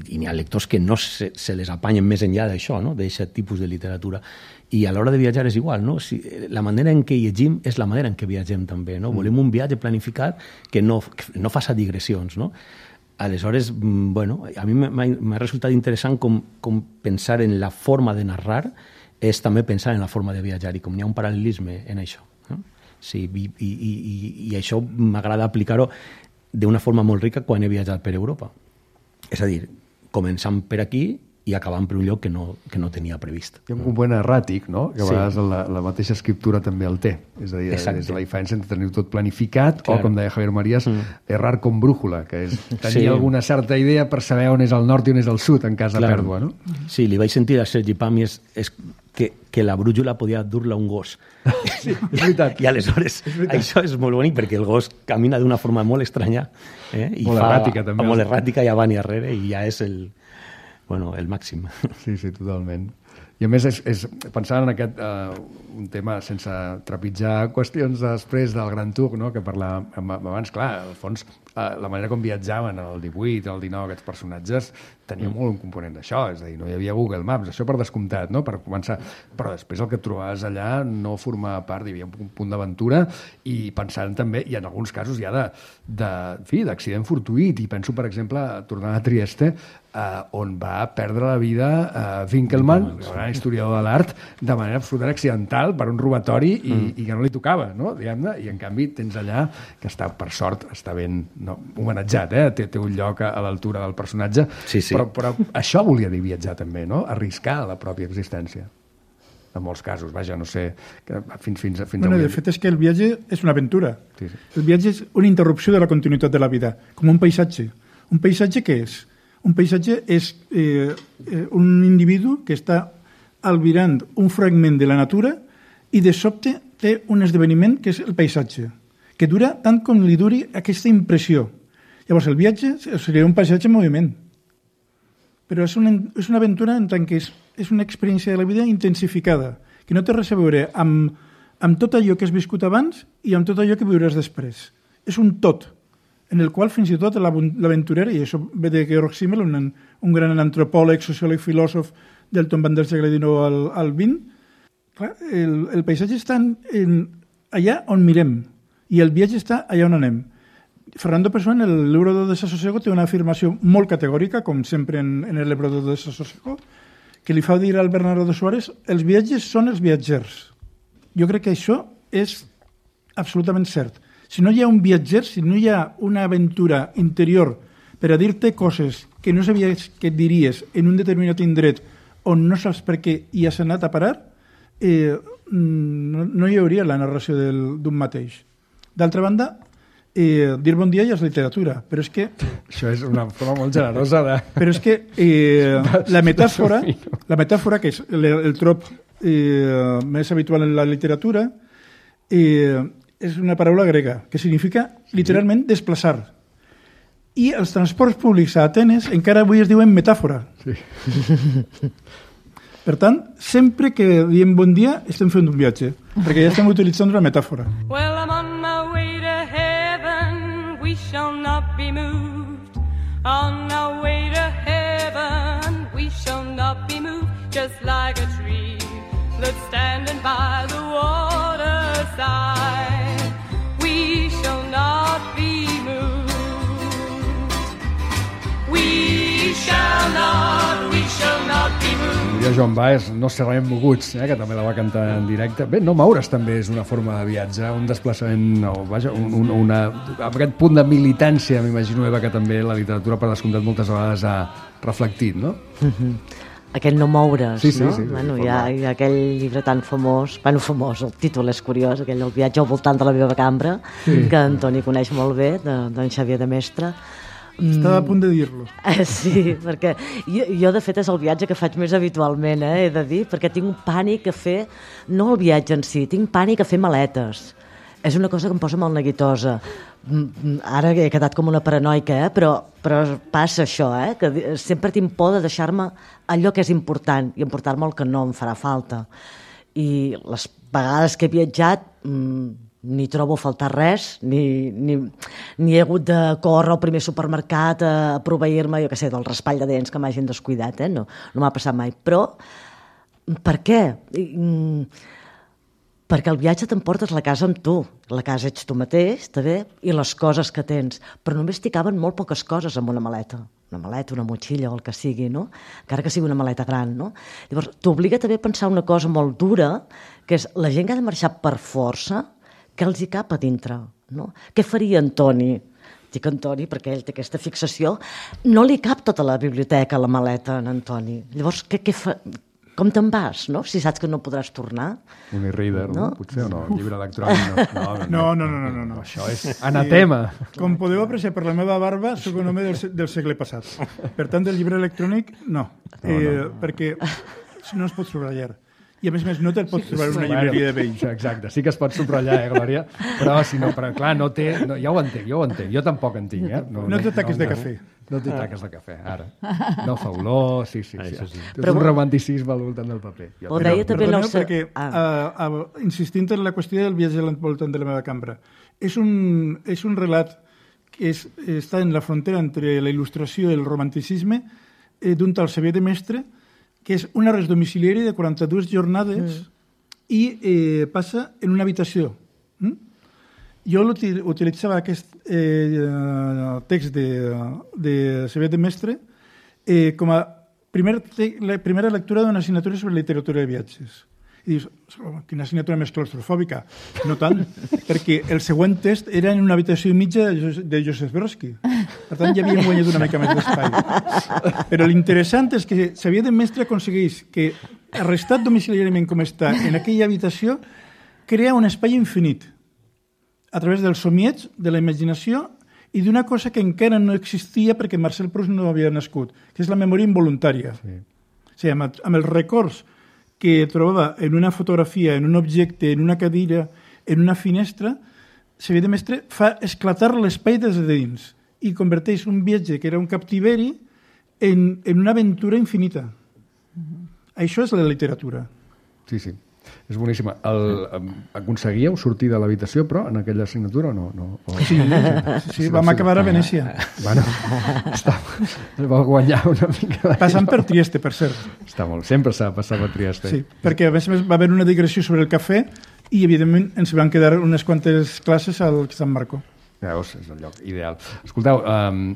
n'hi ha lectors que no se les apanyen més enllà d'això, no?, d'aquest tipus de literatura. I a l'hora de viatjar és igual, no? La manera en què llegim és la manera en què viatgem també, no? Volem un viatge planificat que no faça digressions, no? Aleshores, bueno, a mi m'ha resultat interessant com pensar en la forma de narrar és també pensar en la forma de viatjar i com hi ha un paral·lelisme en això. No? Sí, i això m'agrada aplicar-ho d'una forma molt rica quan he viatjat per Europa. És a dir, començant per aquí i acabant per un lloc que no tenia previst. Hi ha un component erràtic, no?, que a vegades la mateixa escriptura també el té. És a dir, és la diferència entre tenir tot planificat o, com deia Javier Marías, errar com brújula, que és tenir alguna certa idea per saber on és el nord i on és el sud en cas de pèrdua, no? Sí, li vaig sentir a Sergi Pami és que la brújula podia dur-la un gos. Sí, és veritat. I aleshores això és molt bonic perquè el gos camina d'una forma molt estranya. I molt erràtica, també. Molt erràtica, i avant i arrere, i ja és el màxim. Sí, totament. I a més, pensant en aquest un tema sense trepitjar qüestions després del Gran Tour, no?, que parlàvem abans, clar, al fons, la manera com viatjaven el 18, el 19, aquests personatges, tenia molt un component d'això, és a dir, no hi havia Google Maps, això per descomptat, no?, per començar, però després el que et trobaves allà no formava part, hi havia un punt d'aventura, i pensant també, i en alguns casos ja d'accident fortuït, i penso, per exemple, tornant a Trieste, on va perdre la vida Winkelmann, el gran historiador de l'art, de manera absolutament accidental per un robatori i que no li tocava, no?, diguem-ne, i en canvi tens allà que està, per sort, està ben homenatjat, té un lloc a l'altura del personatge, sí. Però això volia dir viatjar també, no?, arriscar la pròpia existència. En molts casos, vaja, no sé, fins bueno, avui. De fet és que el viatge és una aventura. Sí. El viatge és una interrupció de la continuïtat de la vida, com un paisatge. Un paisatge què és? Un paisatge és un individu que està albirant un fragment de la natura i de sobte té un esdeveniment que és el paisatge, que dura tant com li duri aquesta impressió. Llavors el viatge seria un paisatge en moviment, però és una aventura en tant que és una experiència de la vida intensificada, que no té res a veure amb tot allò que has viscut abans i amb tot allò que viuràs després. És un tot, en el qual fins i tot l'aventurer, i això ve de Georg Simmel, un gran antropòleg, sociòleg, filòsof del tomb del segle XIX al XX, clar, el paisatge està allà on mirem i el viatge està allà on anem. Fernando Pessoa, en el Libro de Desasosiego, té una afirmació molt categòrica, com sempre en el Libro de Desasosiego, que li fa dir al Bernardo de Suárez: els viatges són els viatgers. Jo crec que això és absolutament cert. Si no hi ha un viatger, si no hi ha una aventura interior per a dir-te coses que no sabies que et diries en un determinat indret on no saps per què hi has anat a parar, no hi hauria la narració d'un mateix. D'altra banda, dir bon dia ja és literatura, però és que... Això és una forma molt generosa de... Però és que la metàfora, que és el trop més habitual en la literatura, és una paraula grega, que significa literalment desplaçar. I els transports públics a Atenes encara avui es diuen metàfora. Sí. Per tant, sempre que diem bon dia estem fent un viatge, perquè ja estem utilitzant una metàfora. Well, I'm on my way to heaven, we shall not be moved. On our way to heaven, we shall not be moved. Just like a tree that's standing by the waterside, we shall not be moved. We shall not be moved. Diria Joan Baez, no serem moguts, que també la va cantar en directe. Bé, no moure's també és una forma de viatge, un desplaçament, vaja, aquest punt de militància, m'imagino, Eva, que també la literatura, per descomptat, moltes vegades ha reflectit, no? Aquest no moure's, no? Sí, bueno, hi ha aquell llibre tan famós, famós, el títol és curiós, aquell El viatge al voltant de la meva cambra, que Antoni coneix molt bé, d'en Xavier de Mestre. Estava a punt de dir-lo. Sí, perquè jo de fet és el viatge que faig més habitualment, he de dir, perquè tinc un pànic a fer, no el viatge en si, tinc pànic a fer maletes. És una cosa que em posa molt neguitosa. Ara he quedat com una paranoica, però passa això, que sempre tinc por de deixar-me allò que és important i emportar-me el que no em farà falta. I les vegades que he viatjat ni trobo a faltar res, ni he hagut de córrer al primer supermercat a proveir-me, jo què sé, del raspall de dents que m'hagin descuidat, no m'ha passat mai. Però per què? Perquè el viatge t'emportes la casa amb tu. La casa ets tu mateix, també, i les coses que tens. Però només t'hi caben molt poques coses amb una maleta. Una maleta, una motxilla o el que sigui, no? Encara que sigui una maleta gran, no? Llavors, t'obliga també a pensar una cosa molt dura, que és la gent que ha de marxar per força, què els hi cap a dintre, no? Què faria Antoni? Dic Antoni perquè ell té aquesta fixació. No li cap tota la biblioteca a la maleta, en Antoni. Llavors, què fa? Com te'n vas, no? Si saps que no podràs tornar. Un e-reader, no? Potser, o no? Llibre electrònic, no. No. Això és anatema. Com podeu apreciar per la meva barba, soc un home del segle passat. Per tant, el llibre electrònic, no. Perquè no es pot subratllar. I a més, no te'l pots trobar en una llibreria de vells. Exacte, sí que es pot subratllar, Glòria? Però si no, clar, no té... Ja ho entenc, jo tampoc en tinc, No té taques de cafè. No té taques de cafè, ara. No fa olor, sí. Té un romanticisme al voltant del paper. Perdoneu, perquè insistint en la qüestió del viatge al voltant de la meva cambra, és un relat que està en la frontera entre la il·lustració i el romanticisme d'un tal Xavier de Mestre, que és un arrest domiciliari de 42 jornades i passa en una habitació. Jo utilitzava aquest text de Xavier de Mestre com a primera lectura d'una assignatura sobre literatura de viatges. I dius, quina assignatura més claustrofòbica. No tant, perquè el següent text era en una habitació i mitja de Joseph Brodsky. Per tant, ja havíem guanyat una mica més d'espai. Però l'interessant és que Xavier de Mestre aconsegueix que, arrestat domiciliàriament com està en aquella habitació, crea un espai infinit a través del somieig, de la imaginació i d'una cosa que encara no existia perquè Marcel Proust no havia nascut, que és la memòria involuntària. Sí. O sigui, amb els records que trobava en una fotografia, en un objecte, en una cadira, en una finestra, Xavier de Mestre fa esclatar l'espai des de dins i converteix un viatge que era un captiveri en una aventura infinita. Això és la literatura. Sí. És boníssima. Aconseguíeu sortir de l'habitació, però, en aquella assignatura o no? Sí, vam acabar a Venècia. Bueno, va guanyar una mica. Passant per Trieste, per cert. Està molt. Sempre s'ha passat per Trieste. Sí, perquè a més va haver una digressió sobre el cafè i, evidentment, ens van quedar unes quantes classes al San Marco. Veus, és el lloc ideal. Escolteu,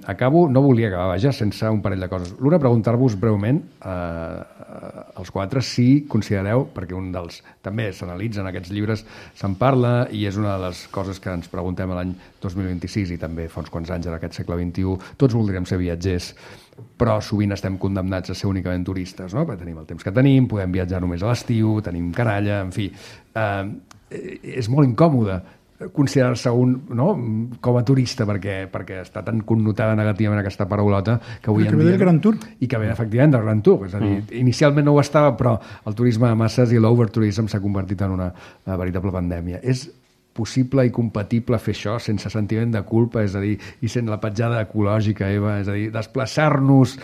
acabo, no volia acabar, vaja, sense un parell de coses. L'una, preguntar-vos breument, als quatre, si considereu, perquè un dels... També s'analitzen aquests llibres, se'n parla, i és una de les coses que ens preguntem a l'any 2026 i també fa uns quants anys en aquest segle XXI. Tots voldríem ser viatgers, però sovint estem condemnats a ser únicament turistes, no? Perquè tenim el temps que tenim, podem viatjar només a l'estiu, tenim canalla, en fi. És molt incòmode considerar-se un, no, com a turista perquè està tan connotada negativament aquesta paraulota que avui en dia... Que ve del Gran Tour. I que ve, efectivament, del Gran Tour. És a dir, inicialment no ho estava, però el turisme de masses i l'overtourism s'ha convertit en una veritable pandèmia. És possible i compatible fer això sense sentiment de culpa, és a dir, i sent la petjada ecològica, Eva, és a dir, desplaçar-nos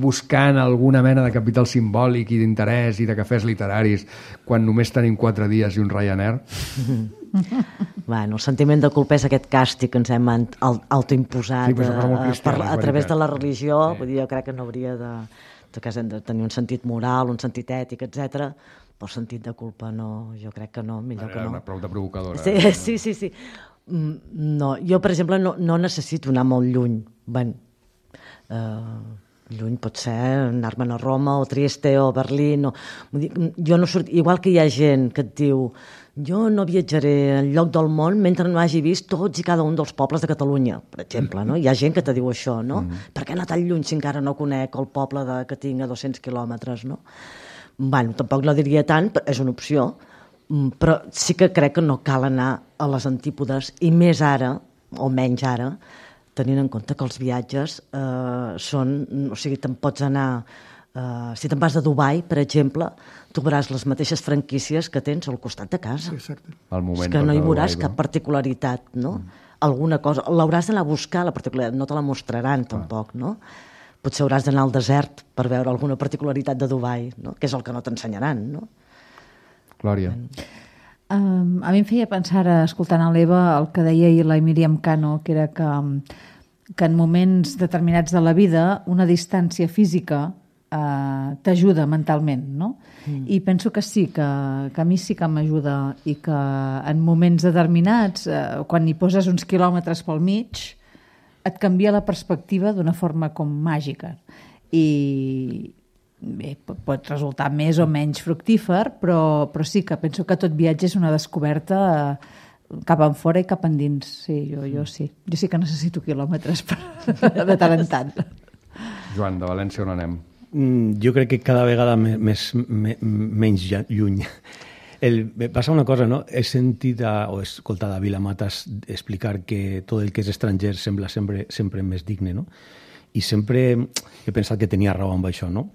buscant alguna mena de capital simbòlic i d'interès i de cafès literaris quan només tenim 4 dies i un Ryanair? Bueno, el sentiment de culpa és aquest càstig que ens hem autoimposat a través de la religió. Vull dir, jo crec que no hauria de hem de tenir un sentit moral, un sentit ètic, etc. Però sentit de culpa no, jo crec que no, millor que no. Una prou de provocadora. Sí. No, jo, per exemple, no necessito anar molt lluny. Lluny pot ser anar-me'n a Roma o Trieste o Berlín. Jo no surto, igual que hi ha gent que et diu jo no viatjaré enlloc del món mentre no hagi vist tots i cada un dels pobles de Catalunya, per exemple, no? Hi ha gent que te diu això, no? Per què anar tan lluny si encara no conec el poble que tinc a 200 quilòmetres, no? Bueno, tampoc no diria tant, és una opció, però sí que crec que no cal anar a les antípodes, i més ara, o menys ara, tenint en compte que els viatges són... O sigui, te'n pots anar... si te'n vas a Dubai, per exemple, trobaràs les mateixes franquícies que tens al costat de casa. Exacte. És que no hi veuràs cap particularitat, no? Alguna cosa... L'hauràs d'anar a buscar, la particularitat, no te la mostraran tampoc, no? Potser hauràs d'anar al desert per veure alguna particularitat de Dubai, no? Que és el que no t'ensenyaran, no? Glòria. A mi em feia pensar, escoltant a l'Eva, el que deia ahir la Míriam Cano, que era que en moments determinats de la vida una distància física t'ajuda mentalment, no? I penso que sí, que a mi sí que m'ajuda, i que en moments determinats, quan hi poses uns quilòmetres pel mig, et canvia la perspectiva d'una forma com màgica. I bé, pot resultar més o menys fructífer, però sí que penso que tot viatge és una descoberta cap enfora i cap endins. Sí, jo sí. Jo sí que necessito quilòmetres de tant en tant. Joan, de València on anem? Jo crec que cada vegada menys lluny. Passa una cosa, no? He sentit o he escoltat a Vila Matas explicar que tot el que és estranger sembla sempre més digne, no? I sempre he pensat que tenia raó amb això, no?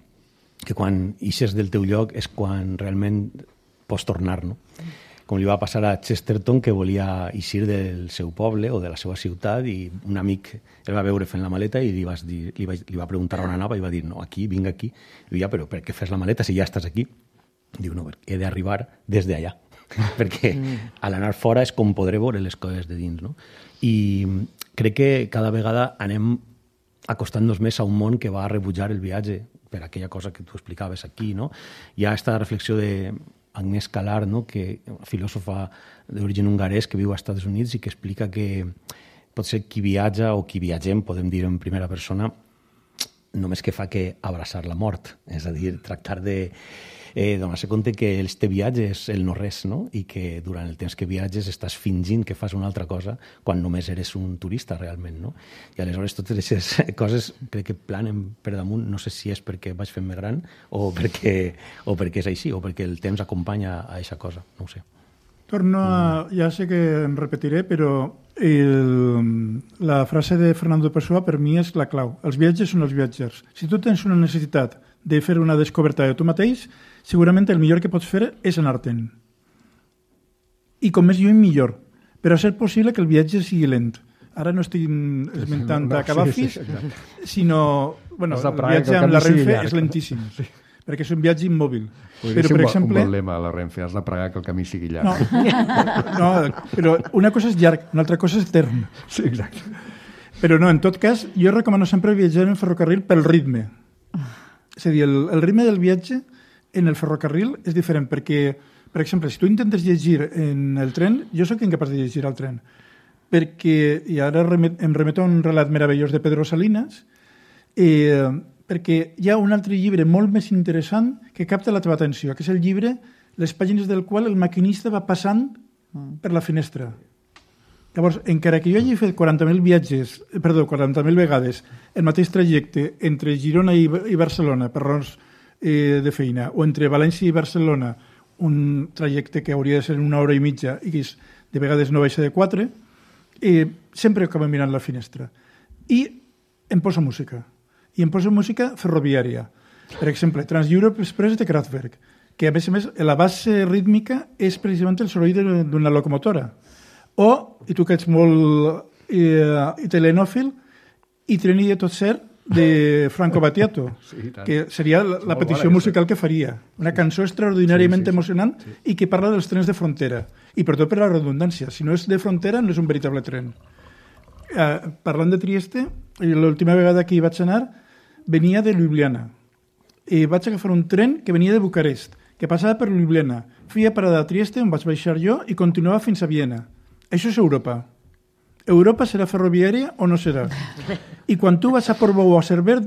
Que quan ixes del teu lloc és quan realment pots tornar, no? Com li va passar a Chesterton, que volia eixir del seu poble o de la seva ciutat, i un amic el va veure fent la maleta i li va preguntar on anava i va dir, no, aquí, vinc aquí. I diu, ja, però per què fes la maleta si ja estàs aquí? Diu, no, he d'arribar des d'allà, perquè a l'anar fora és com podré veure les coses de dins, no? I crec que cada vegada anem acostant-nos més a un món que va rebutjar el viatge, per aquella cosa que tu explicaves aquí, no? Hi ha aquesta reflexió de Agnès Calar, no? Que filòsofa d'origen hongarès que viu als Estats Units i que explica que potser qui viatja o qui viatgem, podem dir en primera persona, només que fa que abraçar la mort, és a dir, tractar de donar-se compte que este viatge és el no-res, no? I que durant el temps que viatges estàs fingint que fas una altra cosa quan només eres un turista realment, no? I aleshores totes aquestes coses crec que planen per damunt, no sé si és perquè vaig fent-me gran o perquè és així, o perquè el temps acompanya a aquesta cosa, no ho sé. Torno a... Ja sé que em repetiré, però la frase de Fernando Pessoa per mi és la clau. Els viatges són els viatgers. Si tu tens una necessitat de fer una descoberta de tu mateix, segurament el millor que pots fer és anar-te'n. I com més lluny, millor. Però a ser possible que el viatge sigui lent. Ara no estic esmentant a Cavafis, sinó... Bueno, el viatge amb la Renfe és lentíssim. Sí. Perquè és un viatge immòbil. Podria ser un bon lema a la Renfe, has de pregar que el camí sigui llarg. No, però una cosa és llarg, una altra cosa és etern. Sí, exacte. Però no, en tot cas, jo recomano sempre viatjar en ferrocarril pel ritme. És a dir, el ritme del viatge en el ferrocarril és diferent, perquè, per exemple, si tu intentes llegir en el tren, jo sóc incapaç de llegir al tren, perquè, i ara em remeto a un relat meravellós de Pedro Salinas, perquè hi ha un altre llibre molt més interessant que capta la teva atenció, que és el llibre, les pàgines del qual el maquinista va passant per la finestra. Llavors, encara que jo hagi fet 40.000 vegades el mateix trajecte entre Girona i Barcelona per raons de feina, o entre València i Barcelona, un trajecte que hauria de ser 1 hora i mitja i que de vegades no baixa de 4, sempre acabo mirant la finestra. I em posa música. I em posa música ferroviària. Per exemple, Trans-Europe Express de Kraftwerk, que a més, la base rítmica és precisament el soroll d'una locomotora. O, i tu que ets molt telenòfil, I treni de tot cert de Franco Battiato, que seria la petició musical que faria. Una cançó extraordinàriament emocionant i que parla dels trens de frontera. I per tot per la redundància. Si no és de frontera, no és un veritable tren. Parlant de Trieste, l'última vegada que hi vaig anar, venia de Ljubljana. I vaig agafar un tren que venia de Bucarest, que passava per Ljubljana. Feia parada a Trieste, on vaig baixar jo, i continuava fins a Viena. Això és Europa. Europa serà ferroviària o no serà? I quan tu vas a Portbou o a Cerver,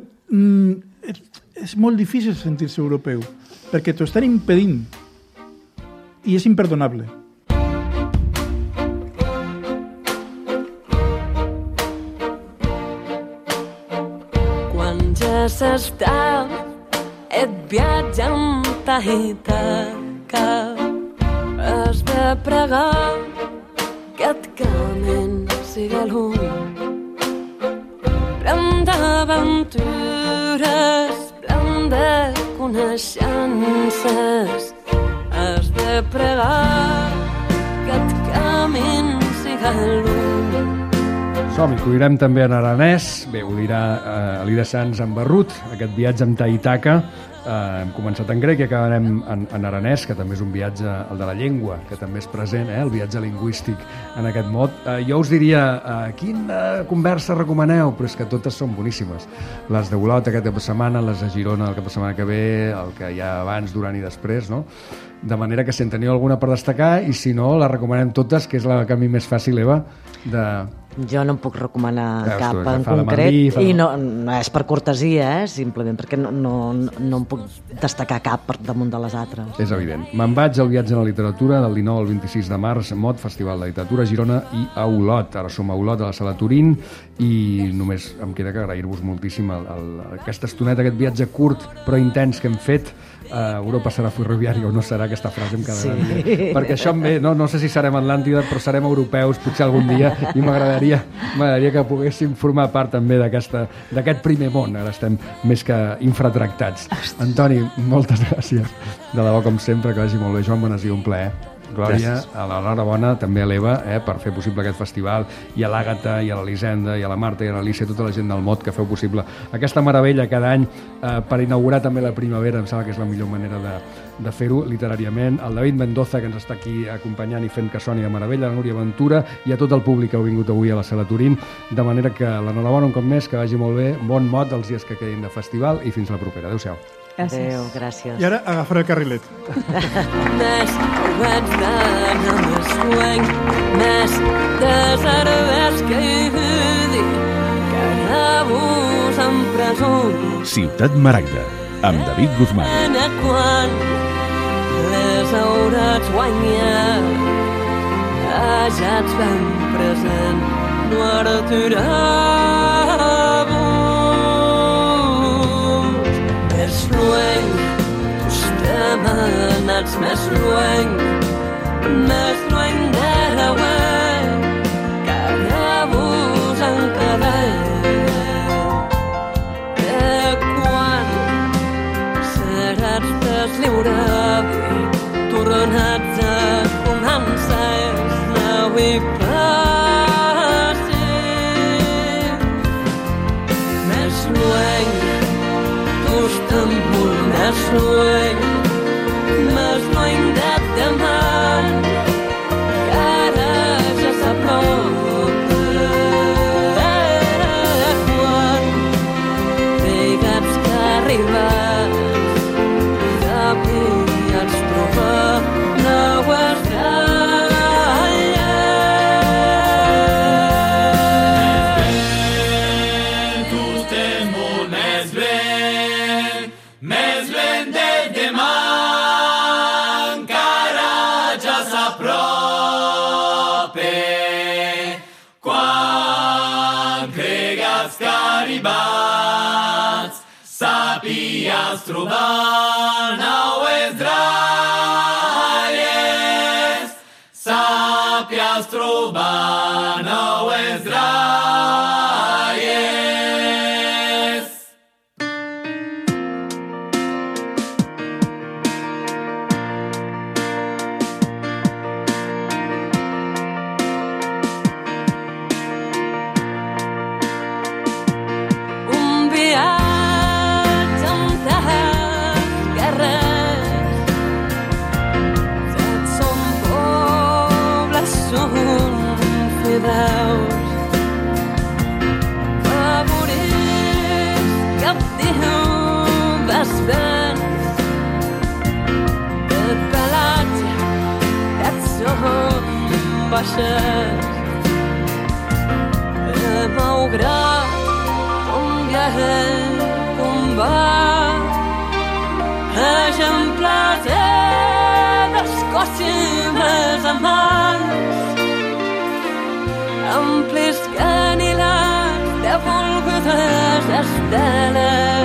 és molt difícil sentir-se europeu, perquè t'ho estan impedint. I és imperdonable. Quan ja s'està, et viatja amb Tahitaca. Has de pregar que et camin siga lluny. Plen d'aventures, plen de coneixences. Has de pregar que et camin siga lluny. Som-hi, que ho direm també en aranès. Bé, ho dirà Elida Sanz en Barrut, aquest viatge amb Tahitaca. Hem començat en grec i acabarem en aranès, que també és un viatge, el de la llengua, que també és present, el viatge lingüístic en aquest mot. Jo us diria, quina conversa recomaneu? Però és que totes són boníssimes. Les de Olot aquest cap de setmana, les de Girona el cap de setmana que ve, el que hi ha abans, durant i després, no? De manera que si en teniu alguna per destacar, i si no, la recomanem totes, que és la que a mi més fàcil, Eva, de... Jo no em puc recomanar cap en concret i no és per cortesia, simplement perquè no em puc destacar cap per damunt de les altres. És evident. Me'n vaig al viatge en la literatura del 19 al 26 de març, MOT, Festival de Literatura a Girona i a Olot. Ara som a Olot, a la Sala Turín, i només em queda que agrair-vos moltíssim aquesta estoneta, aquest viatge curt però intens que hem fet. Europa serà ferroviària o no serà, aquesta frase em quedarà bé, perquè això em ve, no sé si serem Atlàntida, però serem europeus potser algun dia, i m'agradaria que poguéssim formar part també d'aquest primer món. Ara estem més que infratractats. Antoni, moltes gràcies, de debò com sempre, que vagi molt bé. Joan Bonasí, un plaer. Glòria, a l'enhorabona també a l'Eva per fer possible aquest festival, i a l'Àgata, i a l'Elisenda, i a la Marta, i a l'Alicia, tota la gent del MOT que feu possible aquesta meravella cada any per inaugurar també la primavera. Em sembla que és la millor manera de fer-ho literàriament. El David Mendoza, que ens està aquí acompanyant i fent que soni de meravella, la Núria Ventura, i a tot el públic que heu vingut avui a la Sala Turín, de manera que l'enhorabona un cop més, que vagi molt bé, bon MOT els dies que quedin de festival, i fins la propera. Adéu-siau. Adéu, gràcies. I ara agafaré el carrilet. Més vaig d'anar més sueny, més de cervesa que hi vidi, que rebus en presó. Ciutat Maragda, amb David Guzmán. Quan les hauràs guanyat, ja ets ben present, no aturar-vos. Més lluny, tus demanats més lluny de l'auer, que rebus en cadet. De quan seràs deslliurat i tornats a començar és l'avui passer. Més lluny, tus tempos més lluny de demà, que ara ja s'apropa. Quan digues que arribes, cap i ens trobar, no ho has d'allà. arribats, sàpies trobar naues dralles, sàpies trobar naues dralles. Un viatge amb carrers, tots són pobles, són fideus, favorits, captius, vents, de pelatge, tots són baixes, malgrat combat, exemplars d'Escòcia més amants, amplis canilats de volgudes esteles.